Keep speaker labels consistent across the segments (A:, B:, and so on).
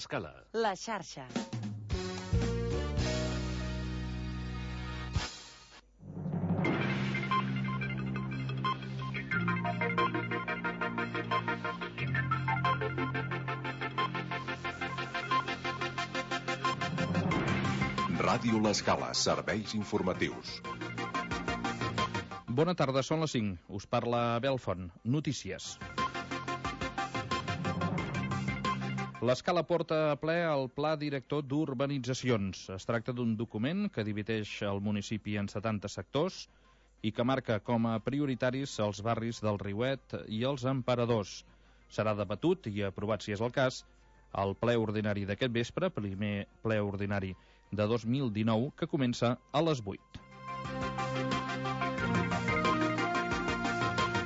A: Escala.
B: La xarxa.
C: Ràdio L'Escala, serveis informatius.
D: Bona tarda, són les 5. Us parla Belfont. Notícies. L'Escala porta a ple el Pla Director d'Urbanitzacions. Es tracta d'un document que divideix el municipi en 70 sectors i que marca com a prioritaris els barris del Riuet i els Emperadors. Serà debatut i aprovat, si és el cas, al ple ordinari d'aquest vespre, primer ple ordinari de 2019, que comença a les 8.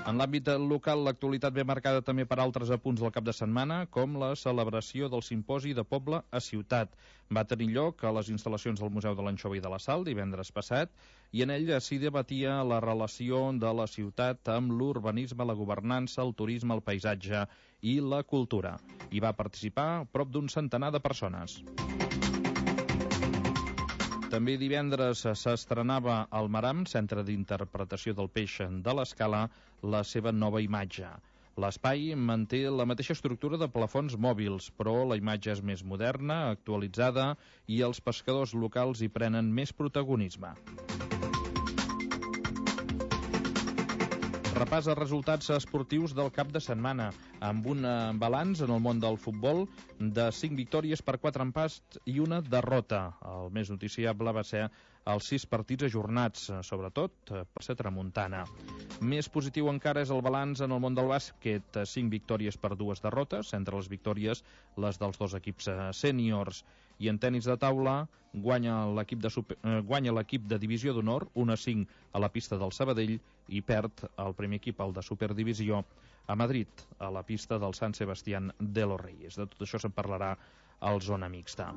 D: En l'àmbit local, l'actualitat ve marcada també per altres apunts del cap de setmana, com la celebració del simposi de poble a ciutat. Va tenir lloc a les instal·lacions del Museu de l'Anxova i de la Sal divendres passat, i en ell s'hi debatia la relació de la ciutat amb l'urbanisme, la governança, el turisme, el paisatge i la cultura. Hi va participar prop d'un centenar de persones. També divendres s'estrenava al Maram, Centre d'Interpretació del Peix de l'Escala, la seva nova imatge. L'espai manté la mateixa estructura de plafons mòbils, però la imatge és més moderna, actualitzada, i els pescadors locals hi prenen més protagonisme. Repàs els resultats esportius del cap de setmana, amb un balanç en el món del futbol de 5 victòries per 4 empats i una derrota. El més noticiable va ser els 6 partits ajornats, sobretot per ser tramuntana. Més positiu encara és el balanç en el món del bàsquet, 5 victòries per 2 derrotes, entre les victòries les dels 2 equips sèniors. I en tenis de taula guanya l'equip de divisió d'honor 1-5 a la pista del Sabadell i perd el primer equip, el de Superdivisió, a Madrid, a la pista del Sant Sebastián de los Reyes. De tot això se'n parlarà al Zona Mixta.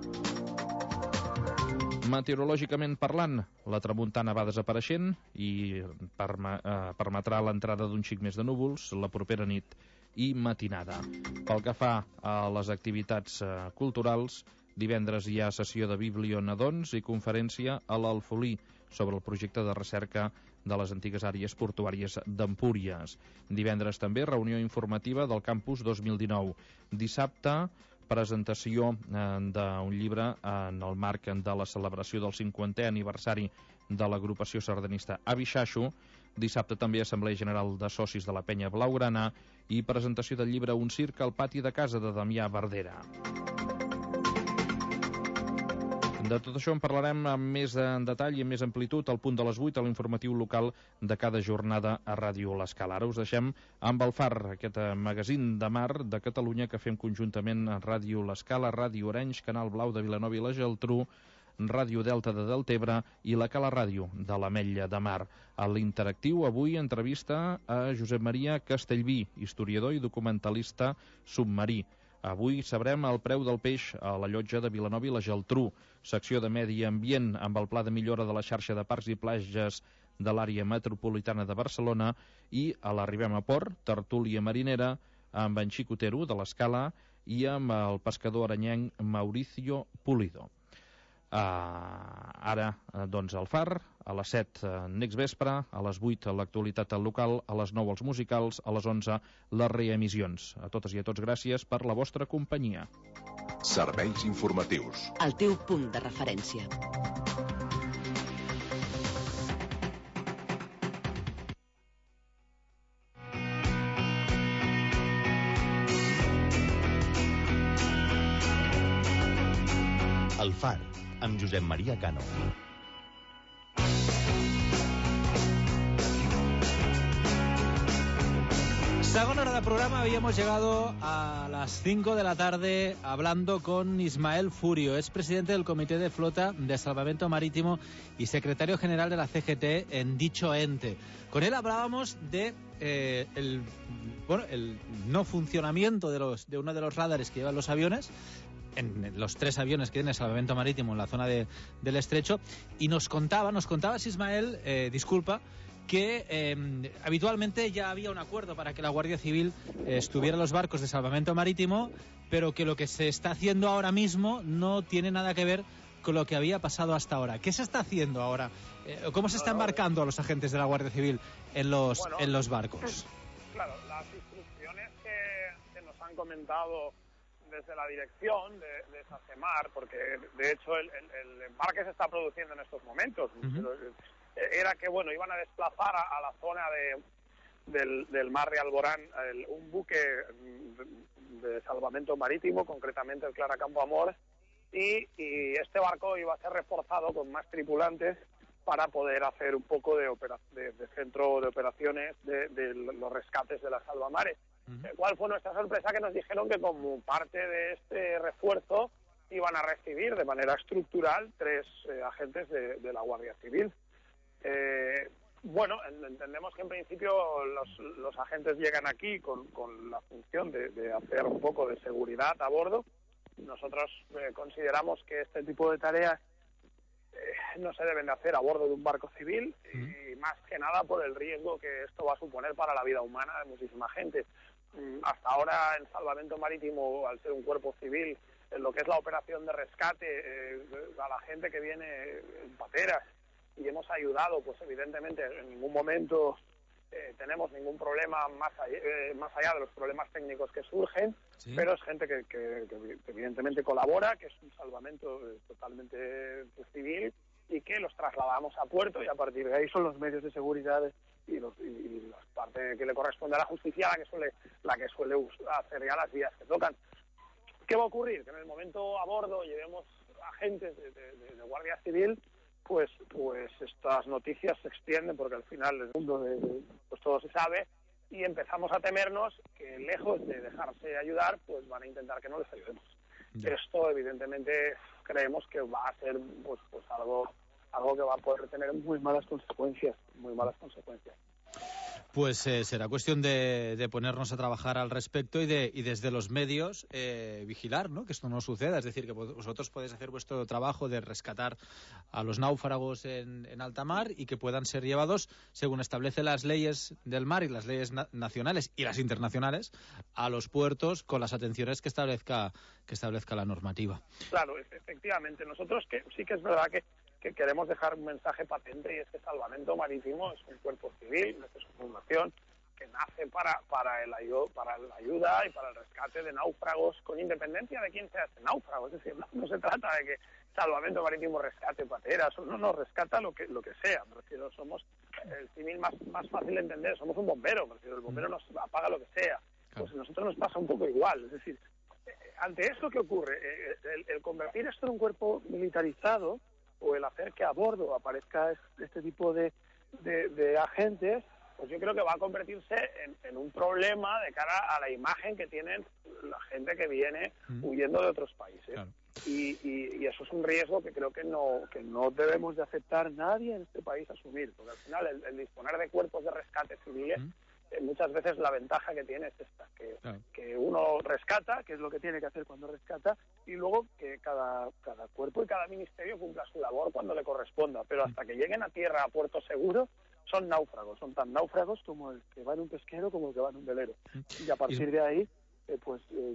D: Meteorològicament parlant, la tramuntana va desapareixent i permetrà l'entrada d'un xic més de núvols la propera nit i matinada. Pel que fa a les activitats culturals, divendres hi ha sessió de biblionadons i conferència a l'Alfolí sobre el projecte de recerca de les antigues àrees portuàries d'Empúries. Divendres també reunió informativa del Campus 2019. Dissabte, presentació d'un llibre en el marc de la celebració del 50è aniversari de l'agrupació sardanista Avixaixo. Dissabte també Assemblea General de Socis de la Penya Blaugrana i presentació del llibre Un circ al pati de casa de Damià Verdera. De tot això en parlarem amb més en detall i amb més amplitud al punt de les 8 a l'informatiu local de cada jornada a Ràdio L'Escala. Ara us deixem amb el FAR, aquest magazín de mar de Catalunya que fem conjuntament a Ràdio L'Escala, Ràdio Orenys, Canal Blau de Vilanova i la Geltrú, Ràdio Delta de Deltebre i la Cala Ràdio de l'Ametlla de Mar. A l'interactiu avui entrevista a Josep Maria Castellví, historiador i documentalista submarí. Avui sabrem el preu del peix a la llotja de Vilanova i la Geltrú, secció de Medi Ambient amb el pla de millora de la xarxa de parcs i platges de l'àrea metropolitana de Barcelona, i a l'Arribem a Port, tertúlia marinera amb en Xico Otero de l'Escala i amb el pescador aranyenc Mauricio Pulido. Ara, doncs, el FAR, a les 7 next vespre, a les 8 l'actualitat local, a les 9 els musicals, a les 11 les reemissions. A totes i a tots gràcies per la vostra companyia.
C: Serveis informatius.
B: El teu punt de referència.
E: El FAR, amb Josep Maria Cano.
F: Segunda hora del programa, habíamos llegado a las 5 de la tarde hablando con Ismael Furio, es presidente del Comité de Flota de Salvamento Marítimo y secretario general de la CGT en dicho ente. Con él hablábamos de el no funcionamiento de uno de los radares que llevan los aviones, en los 3 aviones que tiene el salvamento marítimo en la zona del estrecho, y nos contabas, Ismael, que habitualmente ya había un acuerdo para que la Guardia Civil estuviera en los barcos de salvamento marítimo, pero que lo que se está haciendo ahora mismo no tiene nada que ver con lo que había pasado hasta ahora. ¿Qué se está haciendo ahora? ¿Cómo se está embarcando a los agentes de la Guardia Civil en los barcos?
A: Claro, las instrucciones que nos han comentado desde la dirección de SACEMAR, porque de hecho el embarque se está produciendo en estos momentos, era que iban a desplazar a la zona del mar de Alborán un buque de salvamento marítimo, concretamente el Clara Campo Amor, y este barco iba a ser reforzado con más tripulantes para poder hacer un poco de centro de operaciones de los rescates de la salvamares. ¿Cuál fue nuestra sorpresa? Que nos dijeron que como parte de este refuerzo iban a recibir de manera estructural 3 agentes de la Guardia Civil. Entendemos que en principio los agentes llegan aquí con la función de hacer un poco de seguridad a bordo. Nosotros consideramos que este tipo de tareas no se deben de hacer a bordo de un barco civil, y más que nada por el riesgo que esto va a suponer para la vida humana de muchísima gente. Hasta ahora en salvamento marítimo, al ser un cuerpo civil, en lo que es la operación de rescate a la gente que viene en pateras, y hemos ayudado, pues evidentemente en ningún momento tenemos ningún problema más allá de los problemas técnicos que surgen, ¿sí? Pero es gente que evidentemente colabora, que es un salvamento totalmente civil, y que los trasladamos a puerto, y a partir de ahí son los medios de seguridad y la parte que le corresponde a la justicia la que suele hacer ya las vías que tocan. ¿Qué va a ocurrir? Que en el momento a bordo llevemos agentes de Guardia Civil, pues estas noticias se extienden, porque al final el mundo pues todo se sabe, y empezamos a temernos que, lejos de dejarse ayudar, pues van a intentar que no les ayudemos. Ya. Esto evidentemente creemos que va a ser pues algo que va a poder tener muy malas consecuencias.
F: Pues será cuestión de ponernos a trabajar al respecto y desde los medios vigilar, ¿no?, que esto no suceda. Es decir, que vosotros podéis hacer vuestro trabajo de rescatar a los náufragos en alta mar, y que puedan ser llevados, según establecen las leyes del mar y las leyes nacionales y las internacionales, a los puertos con las atenciones que establezca la normativa.
A: Claro, efectivamente. Nosotros sí que es verdad que queremos dejar un mensaje patente, y es que Salvamento Marítimo es un cuerpo civil, es una fundación que nace para la ayuda y para el rescate de náufragos, con independencia de quién sea este náufrago. Es decir, no se trata de que Salvamento Marítimo rescate pateras, no rescata lo que sea. Me refiero, somos el civil más fácil de entender, somos un bombero, me refiero, el bombero nos apaga lo que sea. Pues a nosotros nos pasa un poco igual. Es decir, ante esto que ocurre, el convertir esto en un cuerpo militarizado, o el hacer que a bordo aparezca este tipo de agentes, pues yo creo que va a convertirse en un problema de cara a la imagen que tienen la gente que viene huyendo de otros países. Claro. Y eso es un riesgo que creo que no debemos de aceptar nadie en este país asumir, porque al final el disponer de cuerpos de rescate civiles, muchas veces la ventaja que tiene es esta, que uno rescata, que es lo que tiene que hacer cuando rescata, y luego que cada cuerpo y cada ministerio cumpla su labor cuando le corresponda, pero hasta que lleguen a tierra, a puerto seguro, son náufragos, son tan náufragos como el que va en un pesquero como el que va en un velero, y a partir de ahí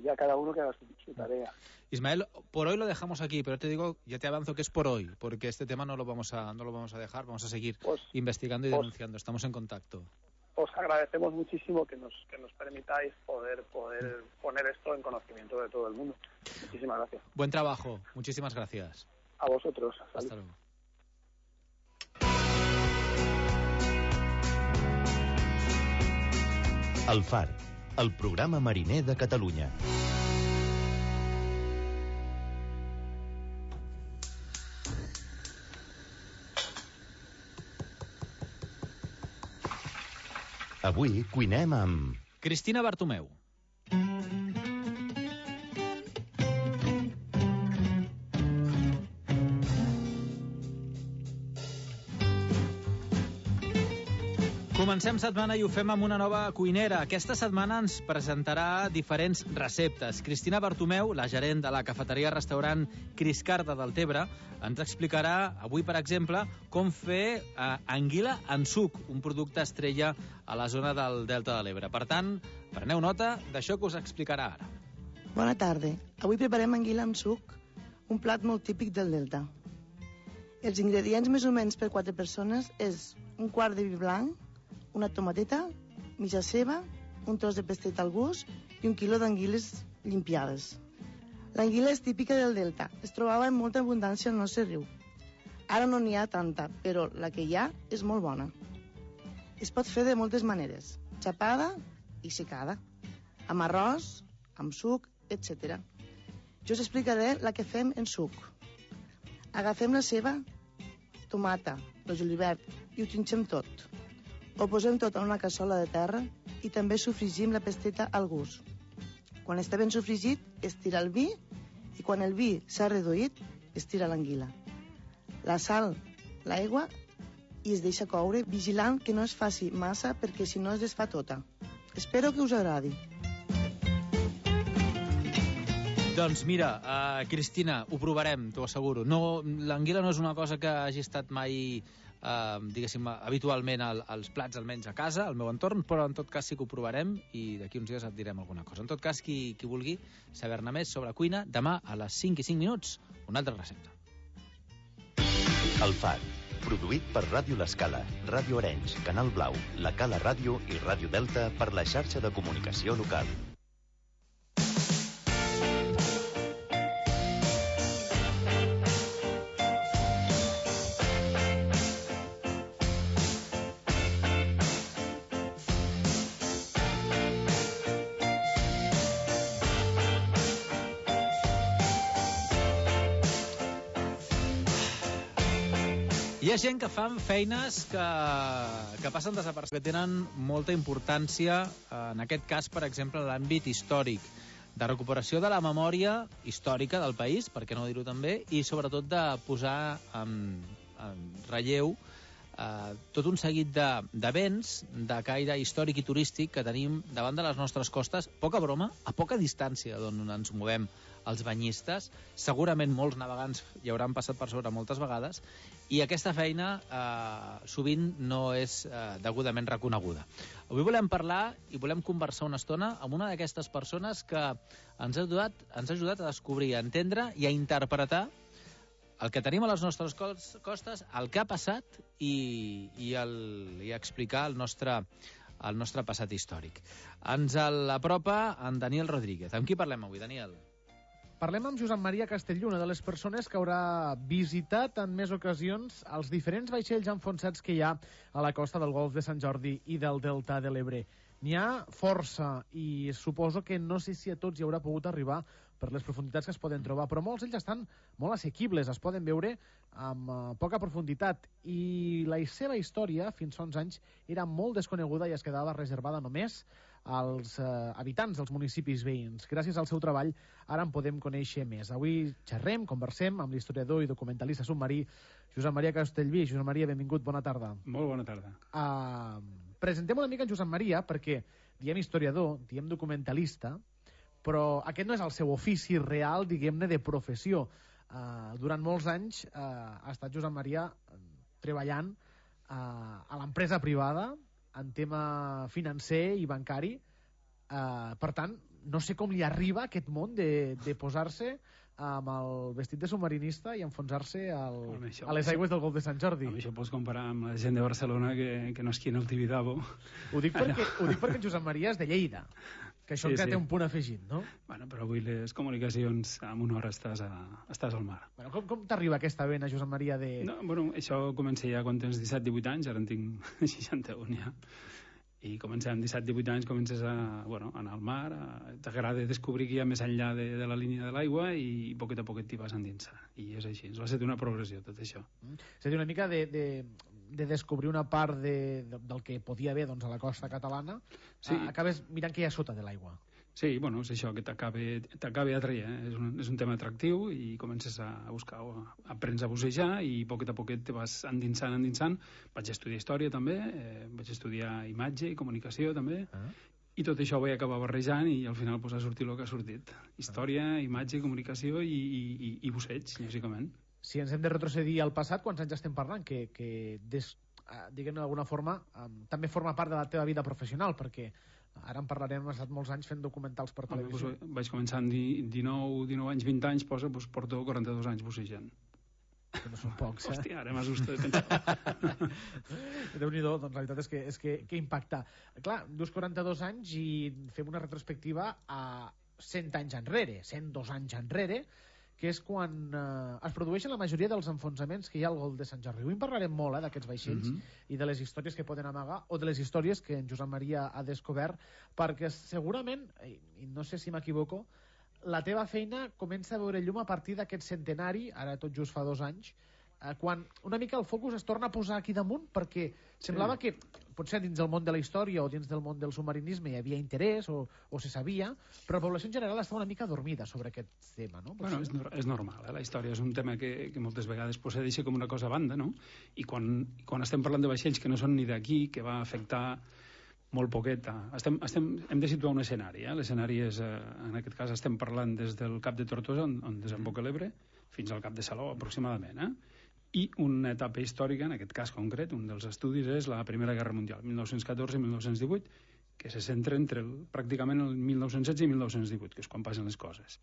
A: ya cada uno que haga su tarea.
F: Ismael, por hoy lo dejamos aquí, pero ya te avanzo que es por hoy, porque este tema no lo vamos a dejar, vamos a seguir investigando y denunciando. Estamos en contacto.
A: Os agradecemos muchísimo que nos permitáis poder poner esto en conocimiento de todo el mundo. Muchísimas gracias.
F: Buen trabajo, muchísimas gracias.
A: A vosotros.
F: Hasta luego.
E: El Far, el programa mariner de Catalunya. Avui cuinem amb...
F: Cristina Bartomeu. Comencem setmana i ho fem amb una nova cuinera. Aquesta setmana ens presentarà diferents receptes. Cristina Bartomeu, la gerent de la cafeteria-restaurant Criscarda del Tebre, ens explicarà avui, per exemple, com fer anguila en suc, un producte estrella a la zona del Delta de l'Ebre. Per tant, preneu nota d'això que us explicarà ara.
G: Bona tarda. Avui preparem anguila amb suc, un plat molt típic del Delta. Els ingredients més o menys per 4 persones és un quart de vi blanc, una tomateta, mitja ceba, un tros de pestet al gust i 1 quilo d'anguiles llimpiades. L'anguila és típica del Delta. Es trobava en molta abundància al nostre riu. Ara no n'hi ha tanta, però la que hi ha és molt bona. Es pot fer de moltes maneres. Xapada i secada. Amb arròs, amb suc, etc. Jo us explicaré la que fem en suc. Agafem la ceba, tomata, el julivert i ho trinxem tot. Ho posem tot en una cassola de terra i també sofregim la pasteta al gust. Quan està ben sofregit, es tira el vi i quan el vi s'ha reduït, es tira l'anguila. La sal, l'aigua i es deixa coure, vigilant que no es faci massa perquè si no es desfà tota. Espero que us agradi.
F: Doncs mira, Cristina, ho provarem, t'ho asseguro. L'anguila no és una cosa que hagi estat mai, diguéssim, habitualment als plats, almenys a casa, al meu entorn, però en tot cas sí que ho provarem i d'aquí uns dies et direm alguna cosa. En tot cas, qui vulgui saber-ne més sobre cuina, demà a les 5 i 5 minuts, una altra recepta.
E: El Far, produït per Ràdio L'Escala, Ràdio Arenys, Canal Blau, La Cala Ràdio i Ràdio Delta per la xarxa de comunicació local.
F: Hi ha gent que fan feines que passen desapercebudes, que tenen molta importància, en aquest cas, per exemple, l'àmbit històric, de recuperació de la memòria històrica del país, per què no dir-ho també, i sobretot de posar en relleu tot un seguit d'events de caire històric i turístic que tenim davant de les nostres costes, poca broma, a poca distància d'on ens movem els banyistes. Segurament molts navegants hi hauran passat per sobre moltes vegades i aquesta feina sovint no és degudament reconeguda. Avui volem parlar i volem conversar una estona amb una d'aquestes persones que ens ha ajudat a descobrir, a entendre i a interpretar el que tenim a les nostres costes, el que ha passat i explicar el nostre passat històric. Ens l'apropa en Daniel Rodríguez. Amb qui parlem avui, Daniel?
H: Parlem amb Josep Maria Castellví, una de les persones que haurà visitat en més ocasions els diferents vaixells enfonsats que hi ha a la costa del Golf de Sant Jordi i del Delta de l'Ebre. N'hi ha força i suposo que no sé si a tots hi haurà pogut arribar per les profunditats que es poden trobar, però molts ells estan molt assequibles, es poden veure amb poca profunditat i la seva història fins fa uns anys era molt desconeguda i es quedava reservada només als habitants dels municipis veïns. Gràcies al seu treball ara en podem conèixer més. Avui conversem amb l'historiador i documentalista submarí Josep Maria Castellví. Josep Maria, benvingut, bona tarda.
I: Molt bona tarda.
H: Presentem una mica en Josep Maria perquè diem historiador, diem documentalista, però aquest no és el seu ofici real, diguem-ne, de professió. Durant molts anys ha estat Josep Maria treballant a l'empresa privada en tema financer i bancari. Per tant, no sé com li arriba aquest món de posar-se amb el vestit de submarinista i enfonsar-se a les aigües del Golf de Sant Jordi.
I: Això pots comparar amb la gent de Barcelona que no esquia en el Tibidabo.
H: Ho dic perquè Josep Maria és de Lleida, que això encara té un punt afegit, no?
I: Bueno, però avui les comunicacions en una hora estàs al mar.
H: Bueno, com t'arriba aquesta vena, Josep Maria, de...
I: No, bueno, això comença ja quan tens 17-18 anys, ara en tinc 61 ja. I comença amb 17-18 anys, comences a anar al mar, t'agrada descobrir que hi ha més enllà de la línia de l'aigua i a poquet t'hi vas endinsar. I és així, ens va ser una progressió, tot això.
H: És a dir, una mica de descobrir una part del que podia haver a la costa catalana, sí. Acabes mirant què hi ha sota de l'aigua.
I: Sí, bueno, és això, que t'acabi atraient. És un tema atractiu i comences a buscar, aprens a bussejar i poquet a poquet te vas endinsant. Vaig estudiar història també, vaig estudiar imatge i comunicació també, i tot això ho vaig acabar barrejant i al final ha sortit el que ha sortit. Història, imatge, comunicació i busseig, lògicament.
H: Si ens hem de retrocedir al passat, quants anys estem parlant? Que diguem-ne d'alguna forma, també forma part de la teva vida professional, perquè ara en parlarem, hem estat molts anys fent documentals per televisió.
I: Vaig començar amb 19 anys, 20 anys, porto 42 anys bussejant.
H: Que no són pocs,
I: Hòstia, ara m'assusta de pensar.
H: Déu-n'hi-do, doncs la veritat és que impacta. Clar, dius 42 anys i fem una retrospectiva a 100 anys enrere, 102 anys enrere, que és quan es produeixen la majoria dels enfonsaments que hi ha al Golf de Sant Jordi. Avui en parlarem molt d'aquests vaixells i de les històries que poden amagar o de les històries que en Josep Maria ha descobert, perquè segurament, i no sé si m'equivoco, la teva feina comença a veure llum a partir d'aquest centenari, ara tot just fa 2 anys, quan una mica el focus es torna a posar aquí damunt, perquè semblava que potser dins del món de la història o dins del món del submarinisme hi havia interès o se sabia, però la població en general està una mica dormida sobre aquest tema, no?
I: Bueno, és normal, la història és un tema que moltes vegades se deixa com una cosa a banda, no? I quan estem parlant de vaixells que no són ni d'aquí, que va afectar molt poquet. Hem de situar un escenari. L'escenari és, en aquest cas, estem parlant des del Cap de Tortosa, on desemboca l'Ebre, fins al Cap de Salou, aproximadament. I una etapa històrica, en aquest cas concret, un dels estudis és la Primera Guerra Mundial, 1914 i 1918, que se centra pràcticament el 1916 i 1918, que és quan passen les coses.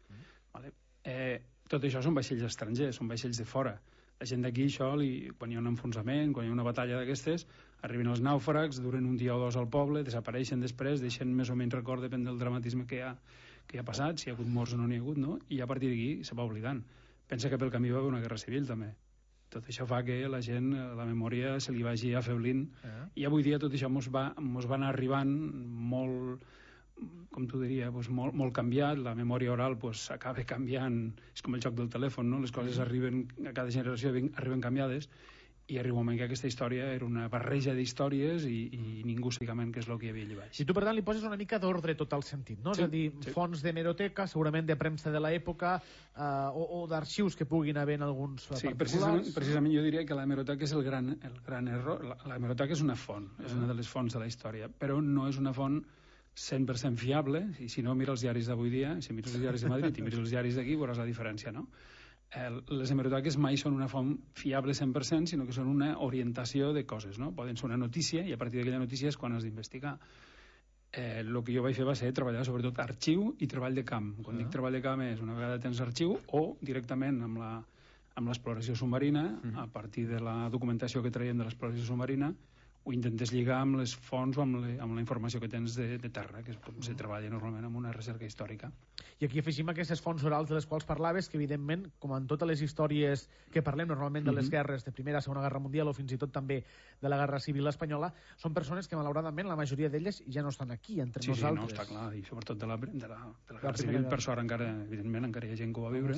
I: Tot això són vaixells estrangers, són vaixells de fora. La gent d'aquí, quan hi ha un enfonsament, quan hi ha una batalla d'aquestes, arriben els nàufrags, duren un dia o dos al poble, desapareixen després, deixen més o menys record, depèn del dramatisme que hi ha passat, si hi ha hagut morts o no n'hi ha hagut, no? I a partir d'aquí se va oblidant. Pensa que pel camí va haver una guerra civil, també. Tot això fa que la gent, la memòria se li vagi afeblint, i avui dia tot això mos va anar arribant molt, com t'ho diria, molt canviat. La memòria oral acaba canviant, és com el joc del telèfon, no? Les coses arriben, a cada generació arriben canviades, i arriba un moment que aquesta història era una barreja d'històries i ningú sabia què és el que hi havia allà baix.
H: I tu, per tant, li poses una mica d'ordre tot el sentit, no?
I: Sí,
H: és a dir, fonts d'hemeroteca, segurament de premsa de l'època, o d'arxius que puguin haver en alguns particulars.
I: Precisament jo diria que l'hemeroteca és el gran error. L'hemeroteca és una font, és una de les fonts de la història, però no és una font 100% fiable. I si no, mira els diaris d'avui dia, si mires els diaris de Madrid i mires els diaris d'aquí, veuràs la diferència, no? Les hemeroteques mai són una font fiable 100%, sinó que són una orientació de coses, no? Poden ser una notícia i a partir d'aquella notícia és quan has d'investigar. El que jo vaig fer va ser treballar sobretot arxiu i treball de camp. Quan dic treball de camp és una vegada tens arxiu o directament amb l'exploració submarina, a partir de la documentació que traiem de l'exploració submarina, ho intentes lligar amb les fonts o amb la informació que tens de terra, que és com se treballa normalment amb una recerca històrica.
H: I aquí afegim aquestes fonts orals de les quals parlaves, que evidentment, com en totes les històries que parlem normalment de les guerres de Primera, Segona Guerra Mundial o fins i tot també de la Guerra Civil Espanyola, són persones que malauradament la majoria d'elles ja no estan aquí entre nosaltres.
I: Sí, no, està clar, i sobretot de la Guerra Civil, per sort encara, evidentment, encara hi ha gent que ho va viure.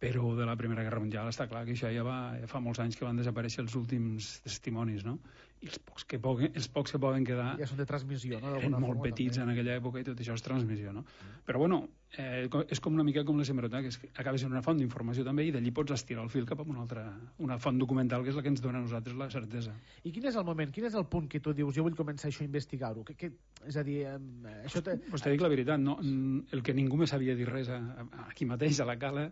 I: Però de la Primera Guerra Mundial està clar que això ja fa molts anys que van desaparèixer els últims testimonis, no? I els pocs que poden quedar
H: ja són de transmissió, no?
I: Eren molt petits en aquella època i tot això és transmissió, no? Però bueno, és com una mica com les hemeroteques, que acaba sent una font d'informació també i d'allí pots estirar el fil cap a una font documental que és la que ens dona a nosaltres la certesa.
H: I quin és el moment, quin és el punt que tu dius jo vull començar això a investigar-ho? És a dir, això...
I: Pues te dic la veritat, no? El que ningú més sabia dir res aquí mateix a la cala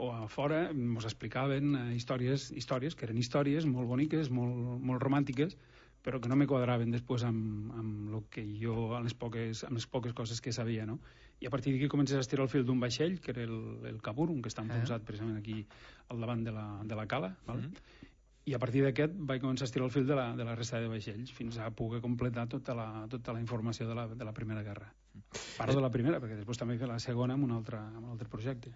I: o a fora, ens explicaven històries que eren històries molt boniques, molt romàntiques, però que no me quadraven després amb lo que jo, amb les poques coses que sabia, no? I a partir d'aquí comences a estirar el fil d'un vaixell, que era el Caburun, que està enfonsat precisament aquí al davant de la cala, val? I a partir d'aquest vaig començar a estirar el fil de la resta de vaixells fins a poder completar tota la informació de la Primera Guerra. Parlo de la primera, perquè després també he fet la segona amb un altre projecte.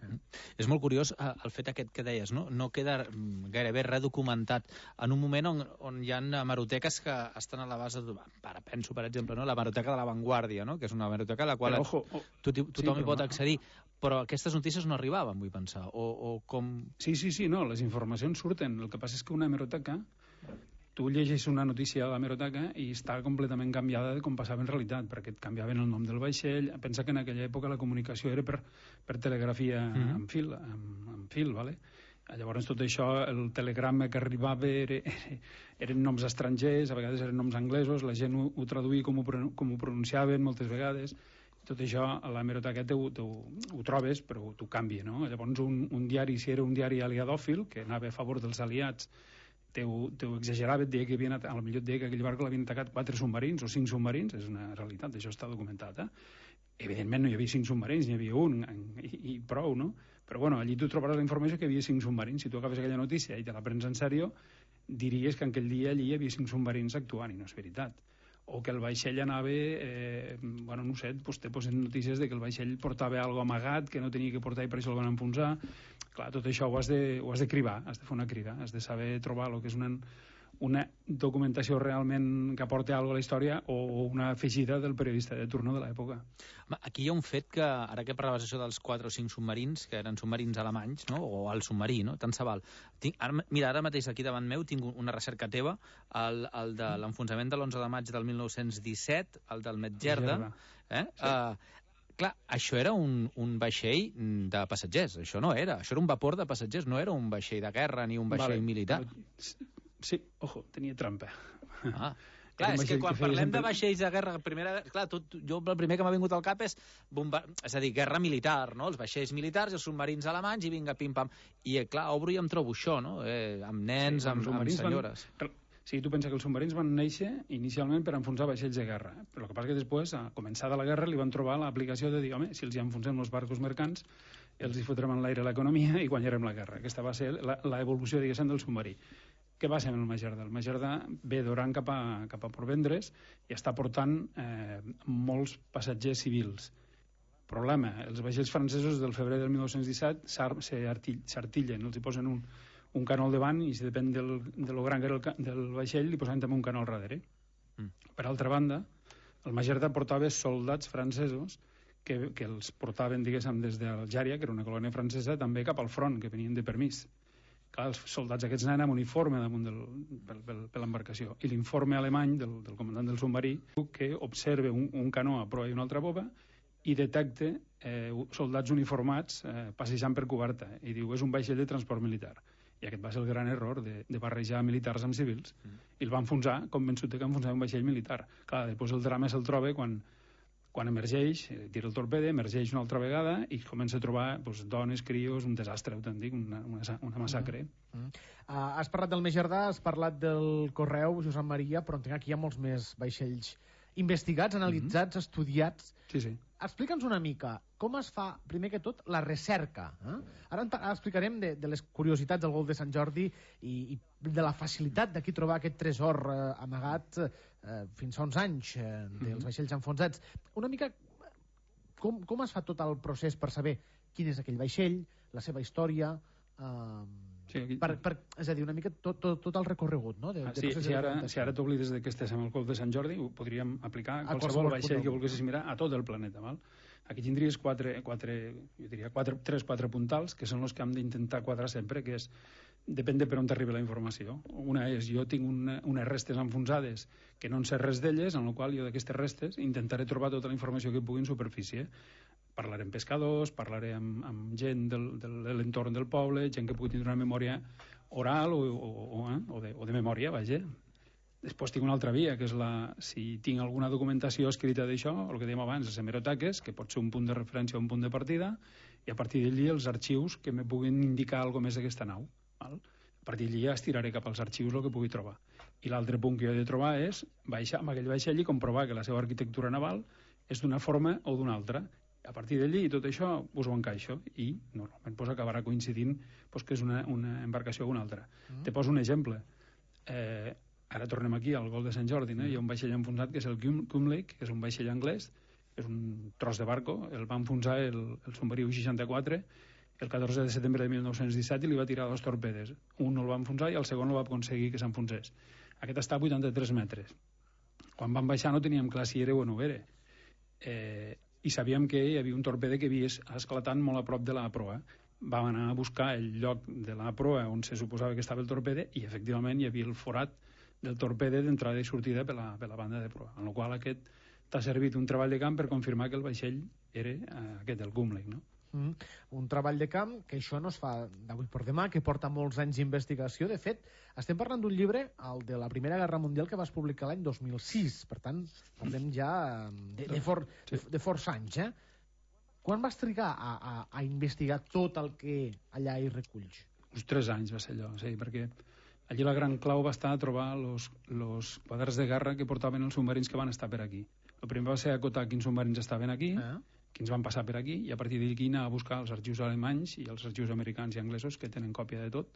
F: És molt curiós el fet aquest que deies, no? No queda gairebé res documentat en un moment on hi ha hemeroteques que estan a la base penso, per exemple, no? La hemeroteca de La Vanguardia, no? Que és una hemeroteca a la qual tothom hi pot accedir, però aquestes notícies no arribaven, vull pensar, o com...
I: Sí, no, les informacions surten. El que passa és que una hemeroteca tu llegeixes una notícia a l'hemeroteca i està completament canviada de com passava en realitat, perquè et canviaven el nom del vaixell. Pensa que en aquella època la comunicació era per telegrafia amb fil, vale? Llavors tot això, el telegrama que arribava eren noms estrangers, a vegades eren noms anglesos, la gent ho traduïa com ho pronunciaven moltes vegades. Tot això a l'hemeroteca ho trobes, però t'ho canvia, no? Llavors un diari, si era un diari aliadòfil, que anava a favor dels aliats, t'ho exagerava, et deia que potser et deia que aquell barco l'havien atacat 4 submarins o 5 submarins, és una realitat, això està documentat, Evidentment no hi havia 5 submarins, n'hi havia un i prou, no? Però bueno, allí tu trobaràs la informació que hi havia 5 submarins. Si tu agafes aquella notícia i te la prens en sèrio, diries que en aquell dia allí hi havia 5 submarins actuant, i no és veritat. O que el vaixell anava, no sé, te posen notícies de que el vaixell portava algo amagat que no tenia que portar i per això el van enfonsar. Clar, tot això ho has de cribar, has de fer una crida, has de saber trobar el que és una documentació realment que aporta alguna cosa a la història o una afegida del periodista de turno de l'època.
F: Aquí hi ha un fet que, ara que parlaves això dels 4 o 5 submarins, que eren submarins alemanys, no? O el submarí, no? Tant se val. Mira, ara mateix aquí davant meu tinc una recerca teva, el de l'enfonsament de l'11 de maig del 1917, el del Medgerda. Clar, això era un vaixell de passatgers, això no era. Això era un vapor de passatgers, no era un vaixell de guerra ni un vaixell militar.
I: Sí, ojo, tenia trampa.
F: Clar, és que quan parlem de vaixells de guerra, clar, jo el primer que m'ha vingut al cap és a dir, guerra militar, no? Els vaixells militars i els submarins alemanys i vinga, pim-pam. I clar, obro i em trobo això, no? Amb nens, amb senyores.
I: Sí, tu pensa que els submarins van néixer inicialment per enfonsar vaixells de guerra, però el que passa que després, a començada la guerra, li van trobar l'aplicació de dir, home, si els hi enfonsem els barcos mercants, els hi fotrem en l'aire l'economia i guanyarem la guerra. Aquesta va ser l'evolució, diguéssim, del submarí. Què va ser amb el Medgerda? El Medgerda ve d'Oran cap a Portvendres i està portant molts passatgers civils. Problema, els vaixells francesos del febrer del 1917 s'artillen, els hi posen un canó al davant i si depèn de lo gran que era del vaixell li posen també un canó al darrere. Per altra banda, el Medgerda portava soldats francesos que els portaven, diguéssim, des d'Algèria, que era una colònia francesa, també cap al front, que venien de permís. Clar, els soldats aquests anaven amb uniforme damunt per l'embarcació. I l'informe alemany del comandant del submarí que observa un canó a proa i una altra popa i detecta soldats uniformats passejant per coberta. I diu, és un vaixell de transport militar. I aquest va ser el gran error de barrejar militars amb civils. I el va enfonsar, convençut que enfonsava un vaixell militar. Clar, després el drama se'l troba quan emergeix, tira el torpede, emergeix una altra vegada i comença a trobar dones, crios, un desastre autèntic, una massacre.
H: Has parlat del Medgerda, has parlat del Correu, Josep Maria, però entenc que aquí hi ha molts més vaixells investigats, analitzats, estudiats.
I: Sí.
H: Explica'ns una mica com es fa, primer que tot, la recerca. Ara explicarem de les curiositats del Golf de Sant Jordi i de la facilitat d'aquí trobar aquest tresor amagat fins fa uns anys dels vaixells enfonsats. Una mica com es fa tot el procés per saber quin és aquell vaixell, la seva història, és a dir, una mica tot el recorregut, no?
I: Si ara t'oblides que estés amb el Golf de Sant Jordi, ho podríem aplicar a qualsevol vaixell que volguessis mirar a tot el planeta, val? Aquí tindries 3-4 puntals, que són els que hem d'intentar quadrar sempre, que és, depèn de per on t'arriba la informació. Una és, jo tinc unes restes enfonsades que no en sé res d'elles, en la qual jo d'aquestes restes intentaré trobar tota la informació que pugui en superfície. Parlaré amb pescadors, parlaré amb gent de l'entorn del poble, gent que pugui tindre una memòria oral o de memòria, vaja. Després tinc una altra via, que és si tinc alguna documentació escrita d'això, el que dèiem abans, les hemeroteques, que pot ser un punt de referència o un punt de partida, i a partir d'allí els arxius que me puguin indicar alguna més d'aquesta nau. Val? A partir d'allí ja estiraré cap als arxius el que pugui trobar. I l'altre punt que jo he de trobar és baixar amb aquell vaixell i comprovar que la seva arquitectura naval és d'una forma o d'una altra. A partir d'allí tot això us ho encaixo i normalment acabarà coincidint que és una embarcació o una altra. Te poso un exemple. Ara tornem aquí al Golf de Sant Jordi, hi ha un vaixell enfonsat que és el Cumlake, que és un vaixell anglès, és un tros de barco, el va enfonsar el submarí U-64 el 14 de setembre de 1917 i li va tirar 2 torpedes. Un el va enfonsar i el segon el va aconseguir que s'enfonsés. Aquest està a 83 metres. Quan van baixar no teníem clar si era o no era. I sabíem que hi havia un torpede que havia esclatat molt a prop de la proa. Vam anar a buscar el lloc de la proa on se suposava que estava el torpede i efectivament hi havia el forat del torpede d'entrada i sortida per la banda de proa, en la qual aquest t'ha servit un treball de camp per confirmar que el vaixell era aquest, el Gumley, no?
H: Un treball de camp que això no es fa d'avui per demà, que porta molts anys d'investigació. De fet, estem parlant d'un llibre, el de la Primera Guerra Mundial, que vas publicar l'any 2006. Per tant, parlem ja de força anys, eh? Quan vas trigar a investigar tot el que allà hi reculls?
I: Uns 3 anys va ser allò, sí, perquè allí la gran clau va estar a trobar los quadres de guerra que portaven els submarins que van estar per aquí. El primer va ser acotar quins submarins estaven aquí, quins van passar per aquí, i a partir d'aquí anar a buscar els arxius alemanys i els arxius americans i anglesos, que tenen còpia de tot,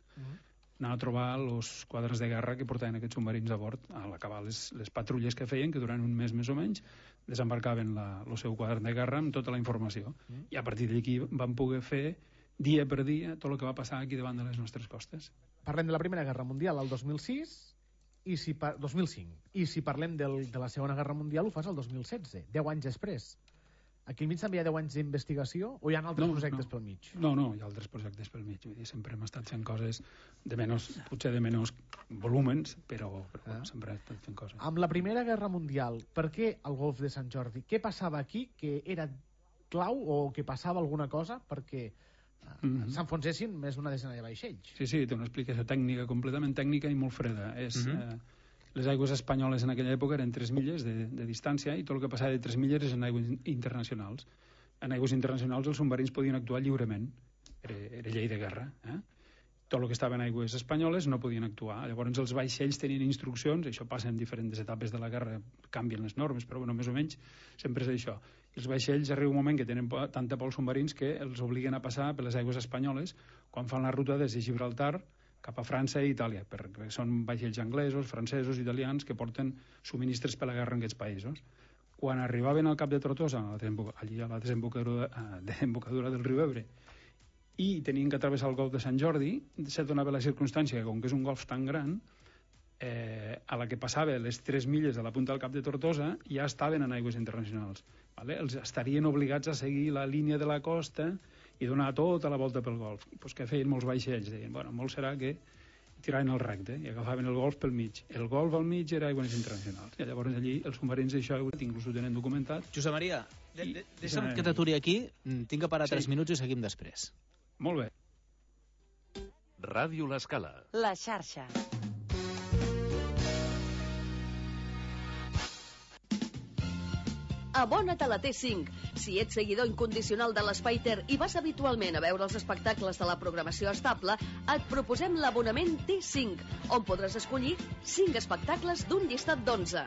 I: anar a trobar els quadres de guerra que portaven aquests submarins a bord, a l'acabar les patrulles que feien, que durant un mes més o menys desembarcaven el seu quadern de guerra amb tota la informació. I a partir d'aquí van poder fer dia per dia tot el que va passar aquí davant de les nostres costes.
H: Parlem de la Primera Guerra Mundial al 2006 2005. I si parlem de la Segona Guerra Mundial ho fas al 2016, 10 anys després. Aquí al mig també hi ha 10 anys d'investigació o hi ha altres projectes pel mig?
I: No, hi ha altres projectes pel mig. Vull dir, sempre hem estat fent coses potser de menys volúmens, però sempre hem estat fent coses.
H: Amb la Primera Guerra Mundial, per què el Golf de Sant Jordi? Què passava aquí que era clau o que passava alguna cosa perquè s'enfonsessin més d'una desena de vaixells?
I: Sí, té una explicació tècnica, completament tècnica i molt freda. Les aigües espanyoles en aquella època eren 3 milles de distància i tot el que passava de 3 milles és en aigües internacionals. En aigües internacionals els submarins podien actuar lliurement. Era llei de guerra. Tot el que estava en aigües espanyoles no podien actuar. Llavors els vaixells tenien instruccions, això passa en diferents etapes de la guerra, canvien les normes, però bueno, més o menys sempre és això. Els vaixells arriba un moment que tenen tanta por als submarins que els obliguen a passar per les aigües espanyoles quan fan la ruta des de Gibraltar cap a França i Itàlia, perquè són vaixells anglesos, francesos, italians que porten subministres per la guerra en aquests països. Quan arribaven al cap de Tortosa, allí a la desembocadura del riu Ebre, i tenien que travessar el golf de Sant Jordi, se donava la circumstància que, com que és un golf tan gran, a la que passava les 3 milles de la punta del cap de Tortosa, ja estaven en aigües internacionals. Els estarien obligats a seguir la línia de la costa i donar tota la volta pel golf. Pues què feien molts vaixells? Deien, molt serà que tiraven el recte i agafaven el golf pel mig. El golf al mig era aigües internacionals. I llavors allí els submarins això inclús ho tenen documentat.
F: Josep Maria, deixa'm que t'aturi aquí. Tinc que parar 3 minuts i seguim després.
I: Molt bé.
C: Ràdio L'Escala.
B: La xarxa.
J: Abona't a la T5. Si ets seguidor incondicional de l'Spider i vas habitualment a veure els espectacles de la programació estable, et proposem l'abonament T5, on podràs escollir 5 espectacles d'un llistat d'11.